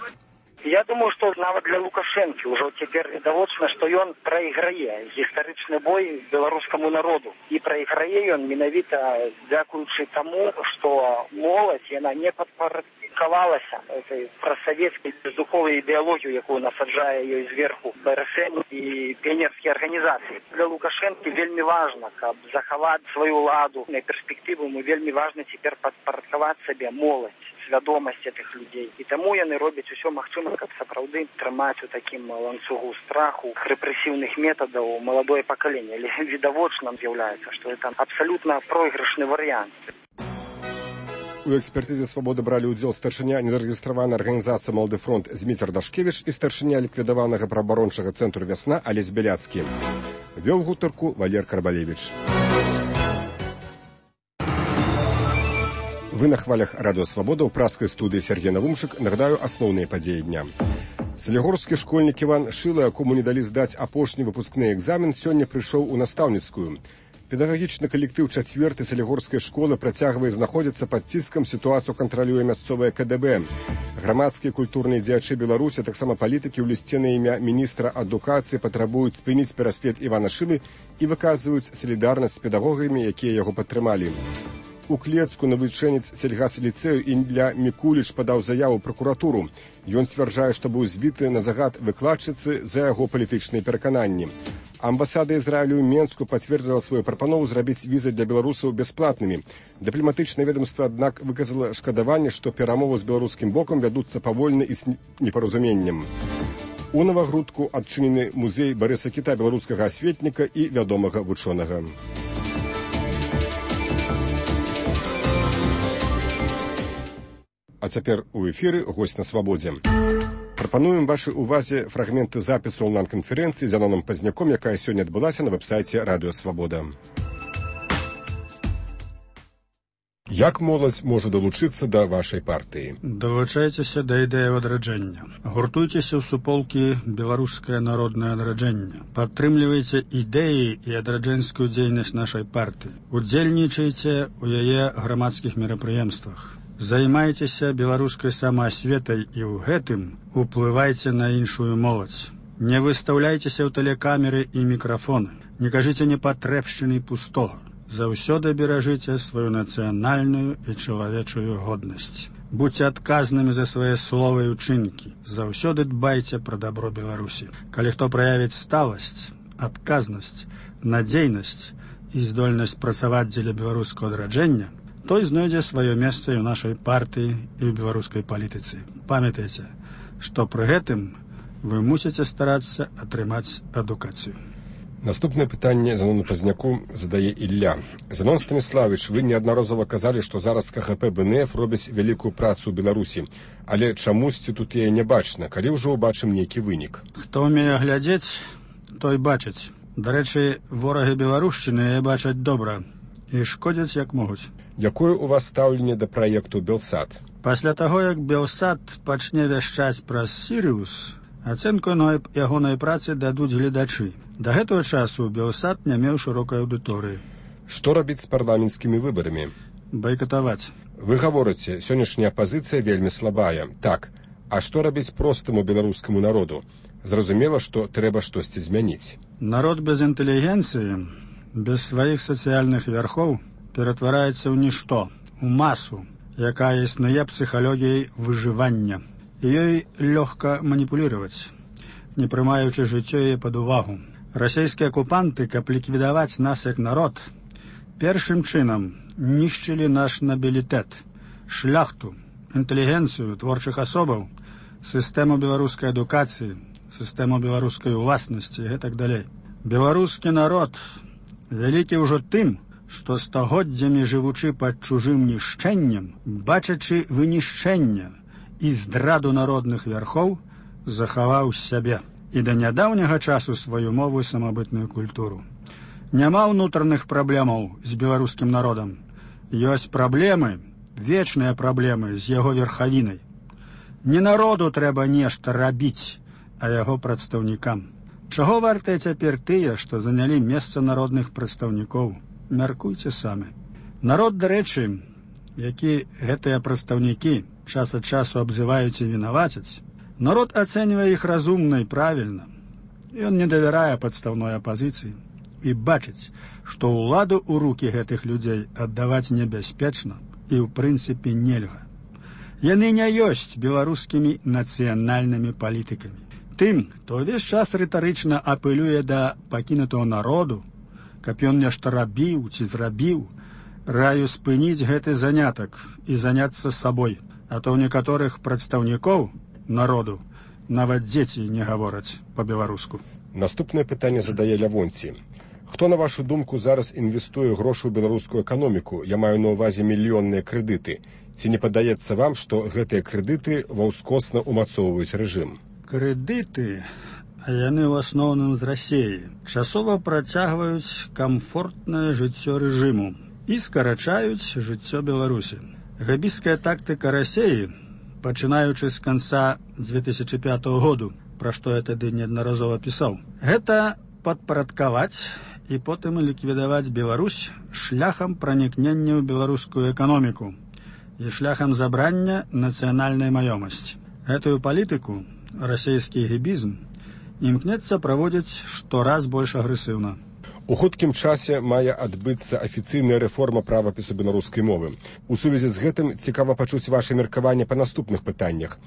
Я думаю, што нават для Лукашэнкі ўжо цяпер відавочна, што ён прайграе гістарычны бой беларускаму народу. І прайграе ён менавіта дзякуючы таму, што моладзь, яна не падпарадкавалася этой прасавецкай бездуховай ідэалогію, якую насаджае ёй зверху БРСМ і піянерскія арганізацыі. Для Лукашэнкі вельмі важна, каб захаваць сваю ўладу на перспектыву, ему вельмі важна цяпер падпарадкаваць сабе моладзь, свядомасць гэтых людзей. І таму яны робяць усё магчымае, каб сапраўды трымаць у такім ланцугу страху, рэпрэсіўных метадаў маладое пакаленне. Але відавочна з'яўляецца, што гэта абсалютна пройгрышны варыянт. У экспертызе «Свабоды» бралі ўдзел старшыня незарэгістраванай арганізацыі «Малады фронт» Зміцер Дашкевіч і старшыня ліквідаванага праабарончага цэнтру «Вясна» Алесь Бяляцкі. Вёў гутарку Валер Карабалевіч. Вы на хвалях Радио Свобода ў праскай студыі Сергей Навумшык. Нагадаю асноўныя падзеі дня. Салігорскі школьнік Іван Шыла, якому не далі здаць апошні выпускны экзамен, сёння прыйшоў у настаўніцкую. Педагагічны калектыў 4-й салігорскай школы працягвае знаходзіцца пад ціскам, сітуацыю кантралюе мясцовае КДБ. Грамадскія культурныя дзеячы Беларусі, таксама палітыкі ў лісце на імя міністра адукацыі патрабуюць спыніць пераслед Івана Шылы і выказваюць салідарнасць з педагогамі, якія яго падтрымалі. У Клецку навучэнец сельгас-ліцэю Ілля Мікуліч падаў заяву ў пракуратуру. Ён сцвярджае, што быў збіты на загад выкладчыцы за яго палітычныя перакананні. Амбасада Ізраілю ў Менску пацвердзіла сваю прапанову зрабіць візы для беларусаў бясплатнымі. Дыпламатычнае ведомства, аднак, выказала шкадаванне, што перамовы з беларускім бокам вядуцца павольна і з непаразуменнем. У Навагрудку адчынены музей Барыса Кіта, беларускага асветніка і вядомага вучонага. А цяпер у эфіры госць на свабодзе. Прапануем вашай увазе фрагменты запісу онлайн-канферэнцыі з Яноном Пазняком, якая сёння адбылася на вэб-сайце Радыё Свабода. Як моладзь можа далучыцца да вашай партыі? Далучайцеся да ідэі адраджэння. Гуртуйцеся ў суполкі «Беларускае народнае адраджэнне». Падтрымлівайце ідэі і адраджэнскую дзейнасць нашай партыі. Удзельнічайце ў яе грамадскіх мерапрыемствах. Займайцеся беларускай самаасветай і ў гэтым уплывайце на іншую моладзь. Не выстаўляйцеся ў тэлекамеры і мікрафоны. Не кажыце непатрэбшчыны пустога. Заўсёды беражыце сваю нацыянальную і чалавечую годнасць. Будьце адказнымі за свае словы і ўчынкі. Заўсёды дбайце пра дабро Беларусі. Калі хто праявіць сталасць, адказнасць, надзейнасць і здольнасць працаваць дзеля беларускага адраджэння, той знойдзе сваё месца і ў нашай партыі і ў беларускай палітыцы. Памятайце, што пры гэтым вы мусіце старацца атрымаць адукацыю. Наступнае пытанне Занону Пазняку задае Ілля. Занон Станіславович, вы неаднаразова казалі, што зараз КХП БНФ робяць вялікую працу ў Беларусі, але чамусьці тут яе не бачна, калі ўжо ўбачым нейкі вынік. Хто ўмее глядзець, той бачыць. Дарэчы, ворагі беларушчыны яе бачаць добра і шкодзяць як могуць. Якое у вас стаўленне да праекту Белсат? Пасля таго, як Белсат пачне вяшчаць праз Сірыус, ацэнку ягонай працы дадуць гледачы. Да гэтага часу Белсат не меў шырокай аўдыторыі. Што рабіць з парламенцкімі выбарамі? Байкатаваць. Вы гаворыце, сённяшняя апазіцыя вельмі слабая. Так, а што рабіць простаму беларускаму народу? Зразумела, што трэба штосьці змяніць. Народ без інтэлігенцыі, без сваіх сацыяльных вярхоў ператвараецца ў нішто, у масу, якая існуе псіхалогіяй выжывання. І ёй лёгка маніпуліраваць, не прымаючы жыццё яе пад увагу. Расійскія акупанты, каб ліквідаваць нас як народ, першым чынам нішчылі наш набілітэт, шляхту, інтэлігенцыю творчых асобаў, сістэму беларускай адукацыі, сістэму беларускай уласнасці і гэтак далей. Беларускі народ вялікі ўжо тым, што стагоддзямі жывучы пад чужым нішчэннем, бачачы вынішчэнне і здраду народных вярхоў, захаваў сябе і да нядаўняга часу сваю мову і самабытную культуру. Няма ўнутраных праблемаў з беларускім народам. Ёсць праблемы, вечныя праблемы з яго верхавінай. Не народу трэба нешта рабіць, а яго прадстаўнікам. Чаго вартыя цяпер тыя, што занялі месца народных прадстаўнікоў? Мяркуйце самі. Народ, дарэчы, які гэтыя прадстаўнікі час ад часу абзываюць і вінавацяць, народ ацэньвае іх разумна і правільна. Ён не давярае падстаўной апазіцыі і бачыць, што ўладу ў рукі гэтых людзей аддаваць небяспечна і ў прынцыпе нельга. Яны не ёсць беларускімі нацыянальнымі палітыкамі. Тым, хто ўвесь час рытарычна апелюе да пакінутого народу, каб ён нешта рабіў ці зрабіў, раю спыніць гэты занятак і заняцца сабой, а то ў некаторых прадстаўнікоў народу нават дзеці не гавораць па-беларуску. Наступнае пытанне задае Лявонці. Хто, на вашу думку, зараз інвестуе грошы ў беларускую эканоміку? Я маю на ўвазе мільённыя крэдыты. Ці не падаецца вам, што гэтыя крэдыты ваўскосна ўмацоўваюць рэжым? Крэдыты, а яны ў асноўным з Расіі, часова працягваюць камфортнае жыццё рэжыму і скарачаюць жыццё Беларусі. Габійская тактыка Расеі, пачынаючы з канца 2005 году, пра што я тады неаднаразова пісаў, гэта падпарадкаваць і потым ліквідаваць Беларусь шляхам пранікнення ў беларускую эканоміку і шляхам забрання нацыянальнай маёмасці. Гэтую палітыку расійскі гібізм імкнецца праводзіць штораз больш агрэсіўна. У хуткім часе мае адбыцца афіцыйная рэформа правапісу беларускай мовы. У сувязі з гэтым цікава пачуць ваша меркаванне па наступных пытаннях.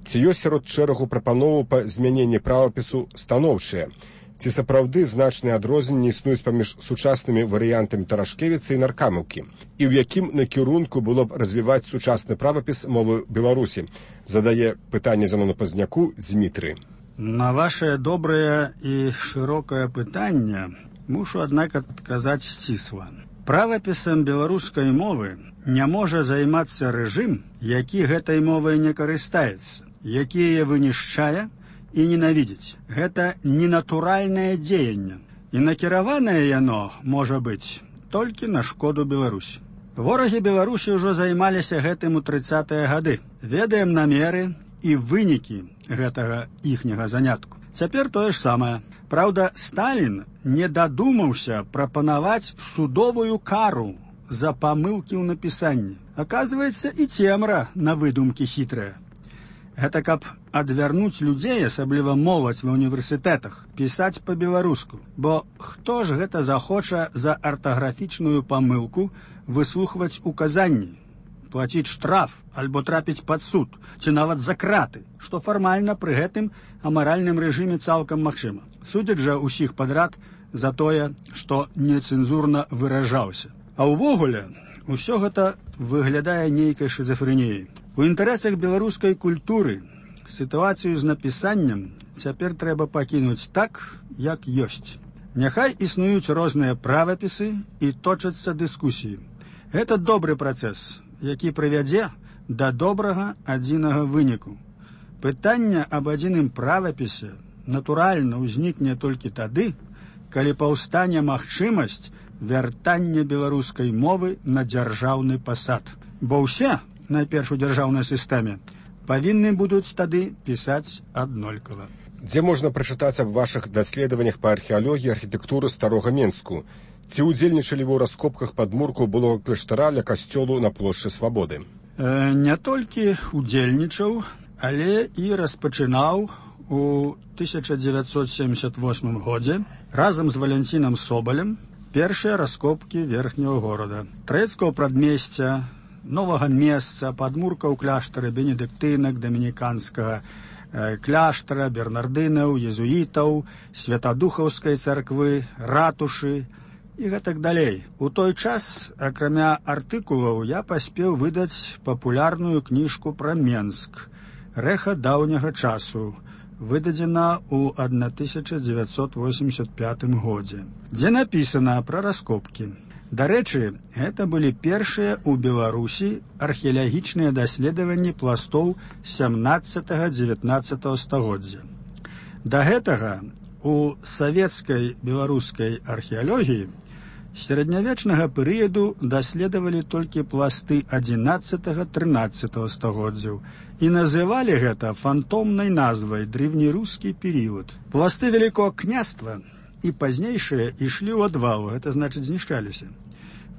Ці ёсць сярод шэрагу прапановаў па змяненні правапісу станоўчыя? Ці сапраўды значныя адрозненні існуюць паміж сучаснымі варыянтамі Тарашкевіца і Наркамаўкі? І ў якім накірунку было б развіваць сучасны правапіс мовы Беларусі? Задае пытанне Зянону Пазняку Дзмітрый. На ваше добрае і шырокае пытанне мушу, аднак, адказаць сцісла. Правапісам беларускай мовы не можа займацца рэжым, які гэтай мовай не карыстаецца, які яе вынішчае і ненавідзіць. Гэта ненатуральнае дзеянне, і накіраванае яно можа быць толькі на шкоду Беларусі. Ворагі Беларусі ўжо займаліся гэтым у 30-е гады. Ведаем намеры і вынікі гэтага іхняга занятку. Цяпер тое ж самае. Праўда, Сталін не дадумаўся прапанаваць судовую кару за памылкі ў напісанні. Аказваецца, і цемра на выдумкі хітрая. Гэта каб адвярнуць людзей, асабліва моладзь ва універсітэтах, пісаць па-беларуску. Бо хто ж гэта захоча за артаграфічную памылку выслухваць указанні, плаціць штраф альбо трапіць пад суд, ці нават за краты, што фармальна пры гэтым амаральным рэжыме цалкам магчыма. Судзяць жа ўсіх падрад за тое, што нецэнзурна выражаўся. А ўвогуле, усё гэта выглядае нейкай шызафрэніяй. У інтарэсах беларускай культуры сітуацыю з напісаннем цяпер трэба пакінуць так, як ёсць. Няхай існуюць розныя правапісы і точацца дыскусіі. Гэта добры працэс, які прывядзе да добрага адзінага выніку. Пытанне аб адзіным правапісе натуральна ўзнікне толькі тады, калі паўстане магчымасць вяртання беларускай мовы на дзяржаўны пасад. Бо ўсе, найперш у дзяржаўнай сістэме, павінны будуць тады пісаць аднолькава. Дзе можна прачытаць аб вашых даследаваннях па археалогіі архітэктуры старога Менску? Ці ўдзельнічалі вы ў раскопках падмуркаў былога кляштара ля касцёлу на плошчы Свабоды? Не толькі ўдзельнічаў, але і распачынаў у 1978 годзе разам з Валянцінам Собалем першыя раскопкі верхняга горада. Трэцкага прадмесця, новага месца, падмуркаў кляштара бенедыктынак, дамініканскага кляштара, бернардынаў, езуітаў, святадухаўскай царквы, ратушы і гэтак далей. У той час, акрамя артыкулаў, я паспеў выдаць папулярную кніжку пра Менск «Рэха даўняга часу», выдадзена ў 1985 годзе, дзе напісана пра раскопкі. Дарэчы, гэта былі першыя ў Беларусі археалагічныя даследаванні пластоў 17-19 стагоддзя. Да гэтага у савецкай беларускай археалогіі сярэднявечнага перыяду даследавалі толькі пласты 11-13 стагоддзяў і называлі гэта фантомнай назвай древнерускі перыяд. Пласты Вялікога княства і пазнейшыя ішлі ў адвал, гэта значыць знішчаліся.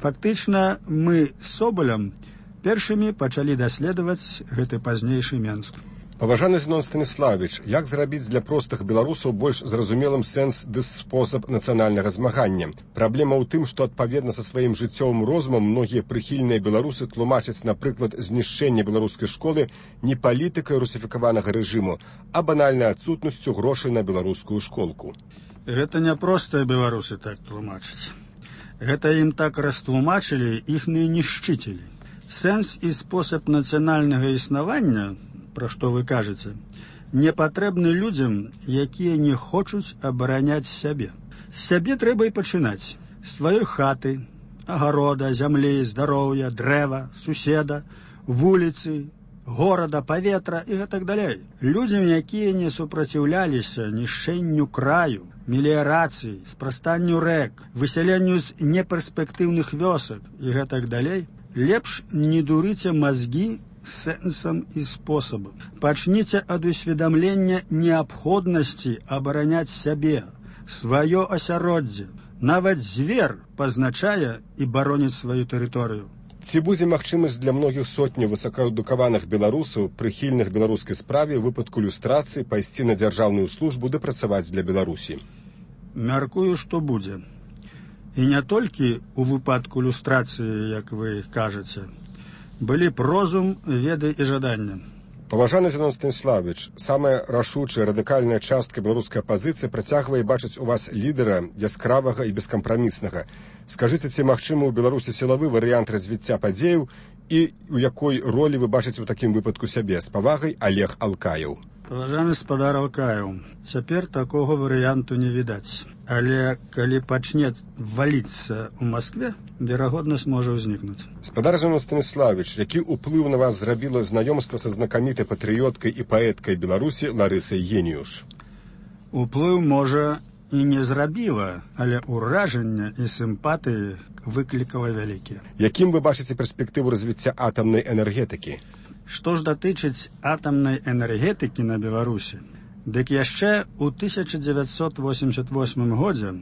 Фактычна мы з Собалем першымі пачалі даследаваць гэты пазнейшы Менск. Паважаны Зенон Станіславович, як зрабіць для простых беларусаў больш зразумелым сэнс ды спосаб нацыянальнага змагання? Праблема ў тым, што адпаведна са сваім жыццёвым розумам многія прыхільныя беларусы тлумачаць, напрыклад, знішчэнне беларускай школы не палітыкай русіфікаванага рэжыму, а банальнай адсутнасцю грошай на беларускую школку. Гэта не простыя беларусы так тлумачаць. Гэта ім так растлумачылі іхныя нішчыцелі. Сэнс і спосаб нацыянальнага існавання, пра што вы кажаце, не патрэбны людзям, якія не хочуць абараняць сябе. З сябе трэба і пачынаць. З сваёй хаты, агарода, зямлі, здароўя, дрэва, суседа, вуліцы, горада, паветра і гэтак далей. Людзям, якія не супраціўляліся нішчэнню краю, меліярацыі, спрастанню рэк, высяленню з неперспектыўных вёсак і гэтак далей, Лепш не дурыце мозги сэнсам і спосабам. Пачніце ад усведамлення неабходнасці абараняць сябе, сваё асяроддзе. Нават звер пазначае і бароніць сваю тэрыторыю. Ці будзе магчымасць для многіх сотняў высокаадукаваных беларусаў, прыхільных беларускай справе, у выпадку люстрацыі пайсці на дзяржаўную службу ды працаваць для Беларусі? Мяркую, што будзе. І не толькі ў выпадку люстрацыі, як вы кажаце. Былі б розум, веды і жаданне. Паважаны Зянон Станіславович, самая рашучая радыкальная частка беларускай апазіцыі працягвае бачыць у вас лідара яскравага і бескампраміснага. Скажыце, ці магчымы ў Беларусі сілавы варыянт развіцця падзеяў і у якой ролі вы бачыце ў такім выпадку сябе? З павагай, Олег Алкаеў. Паважаны спадар Алкаеў, цяпер такога варыянту не відаць. Але калі пачне валіцца ў Маскве, верагоднасць можа ўзнікнуць. Спадар Зянон Станіславович, які ўплыў на вас зрабіла знаёмства са знакамітай патрыёткай і паэткай Беларусі Ларысай Геніюш? Уплыў, можа, і не зрабіла, але ўражання і сімпатыі выклікала вялікія. Якім вы бачыце перспектыву развіцця атамнай энергетыкі? Што ж датычыць атамнай энергетыкі на Беларусі, дык яшчэ ў 1988 годзе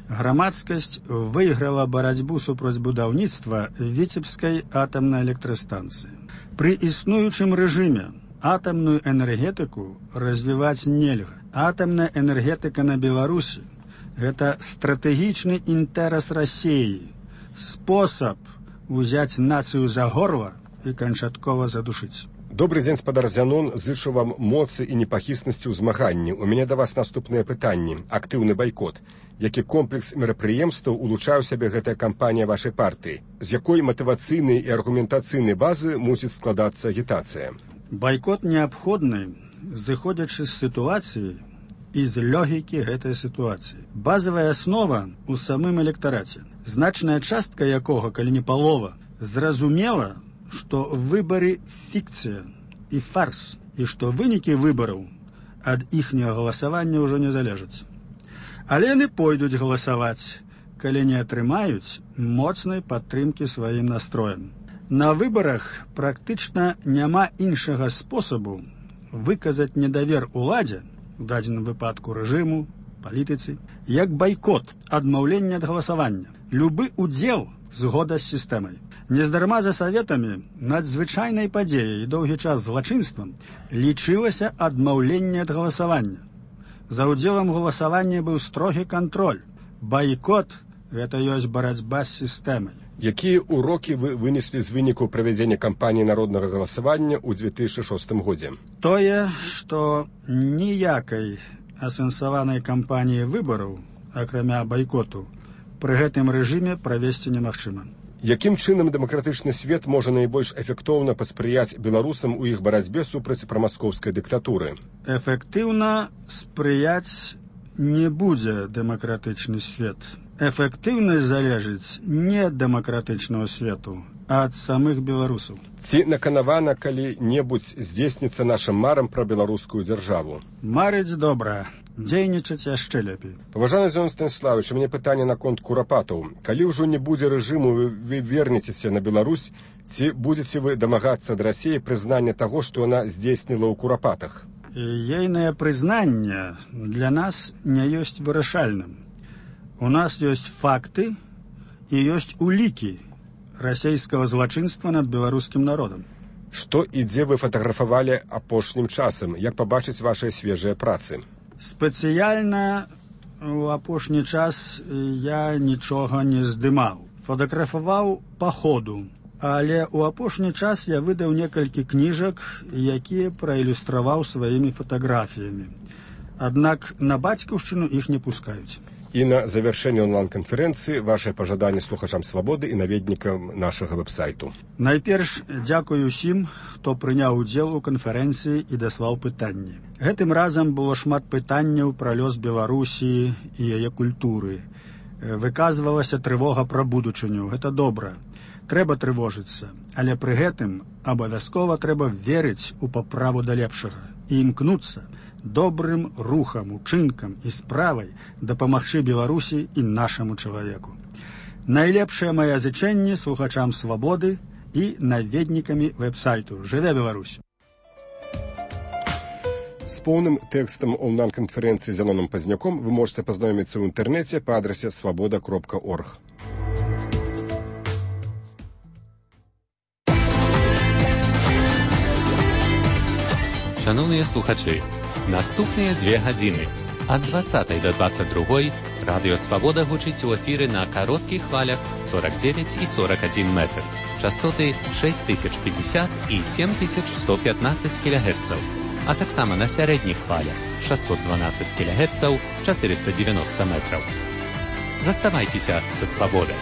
грамадскасць выйграла барацьбу супраць будаўніцтва Віцебскай атамнай электрастанцыі. Пры існуючым рэжыме атамную энергетыку развіваць нельга. Атамная энергетыка на Беларусі – гэта стратэгічны інтэрас Расіі, спосаб узяць нацыю за горла і канчаткова задушыць. Добрый дзень, спадар Зянон, зычу вам моцы і непахіснасці ў змаганні. У мяне да вас наступныя пытанні. Актыўны байкот. Які комплекс мерапрыемстваў улучшае ў сябе гэтая кампанія вашай партыі? З якой матывацыйнай і аргументацыйнай базы мусіць складацца агітацыя? Байкот неабходны, зыходзячы з сітуацыі і з логікі гэтай сітуацыі. Базавая аснова ў самым электараце, значная частка якога, калі не палова, зразумела, што выбары фікцыя і фарс, і што вынікі выбараў ад іхняга галасавання ўжо не залежаць. Але яны пойдуць галасаваць, калі не атрымаюць моцнай падтрымкі сваім настроем. На выбарах практычна няма іншага спосабу выказаць недавер уладзе, у дадзеным выпадку рэжыму, палітыцы, як байкот, адмаўленне ад галасавання. Любы удзел згода з сістэмай. Нездарма за саветамі надзвычайнай падзеяй і доўгі час злачынствам лічылася адмаўленне ад галасавання. За ўдзелам галасавання быў строгі кантроль. Байкот – гэта ёсць барацьба з сістэмай. Якія ўрокі вы вынеслі з выніку правядзення кампаніі народнага галасавання ў 2006 годзе? Тое, што ніякай асэнсаванай кампаніі выбараў, акрамя байкоту, пры гэтым рэжыме правесці немагчыма. Якім чынам дэмакратычны свет можа найбольш эфектыўна паспрыяць беларусам у іх барацьбе супраць прамаскоўскай дыктатуры? Эфектыўна спрыяць не будзе дэмакратычны свет. Эфектыўнасць залежыць не ад дэмакратычнага свету, а ад самых беларусаў. Ці наканавана калі-небудзь здзейсніцца нашым марам пра беларускую дзяржаву? Марыць добра, дзейнічаць яшчэ лепей. Паважаны Зянон Станіславович, у мяне пытанне наконт курапатаў. Калі ўжо не будзе рэжыму, вы вернецеся на Беларусь, ці будзеце вы дамагацца ад Расіі прызнання таго, што яна здзейсніла ў курапатах? Ейнае прызнанне для нас не ёсць вырашальным. У нас ёсць факты і ёсць улікі расійскага злачынства над беларускім народам. Што і дзе вы фатаграфавалі апошнім часам? Як пабачыць вашыя свежыя працы? Спецыяльна у апошні час я нічога не здымаў. Фатаграфаваў па ходу. Але ў апошні час я выдаў некалькі кніжак, якія праілюстраваў сваімі фатаграфіямі. Аднак на бацькаўшчыну іх не пускаюць. І на завяршэнне онлайн-канферэнцыі вашае пажаданне слухачам свабоды і наведнікам нашага вэб-сайту. Найперш дзякую ўсім, хто прыняў удзел у канферэнцыі і даслаў пытанні. Гэтым разам было шмат пытанняў пра лёс Беларусі і яе культуры. Выказвалася трывога пра будучыню. Гэта добра. Трэба трывожыцца, але пры гэтым абавязкова трэба верыць у паправу да лепшага і імкнуцца добрым рухам, учынкам і справай дапамагчы Беларусі і нашаму чалавеку. Найлепшае мае зычэнне слухачам свабоды і наведнікамі вэб-сайту. Жыве Беларусь! С полным текстом онлайн-конференции с Зеноном Поздняком вы можете познакомиться в интернете по адресе svoboda.org. Шановні слухачі, наступні 2 години ад 20 до 22 Радіо Свобода гучить у ефірі на коротких хвалях 49 і 41 метр, частоти 6050 і 7115 кГц, а так само на середніх хвалях 612 кГц, 490 метрів. Заставайтеся со Свободой!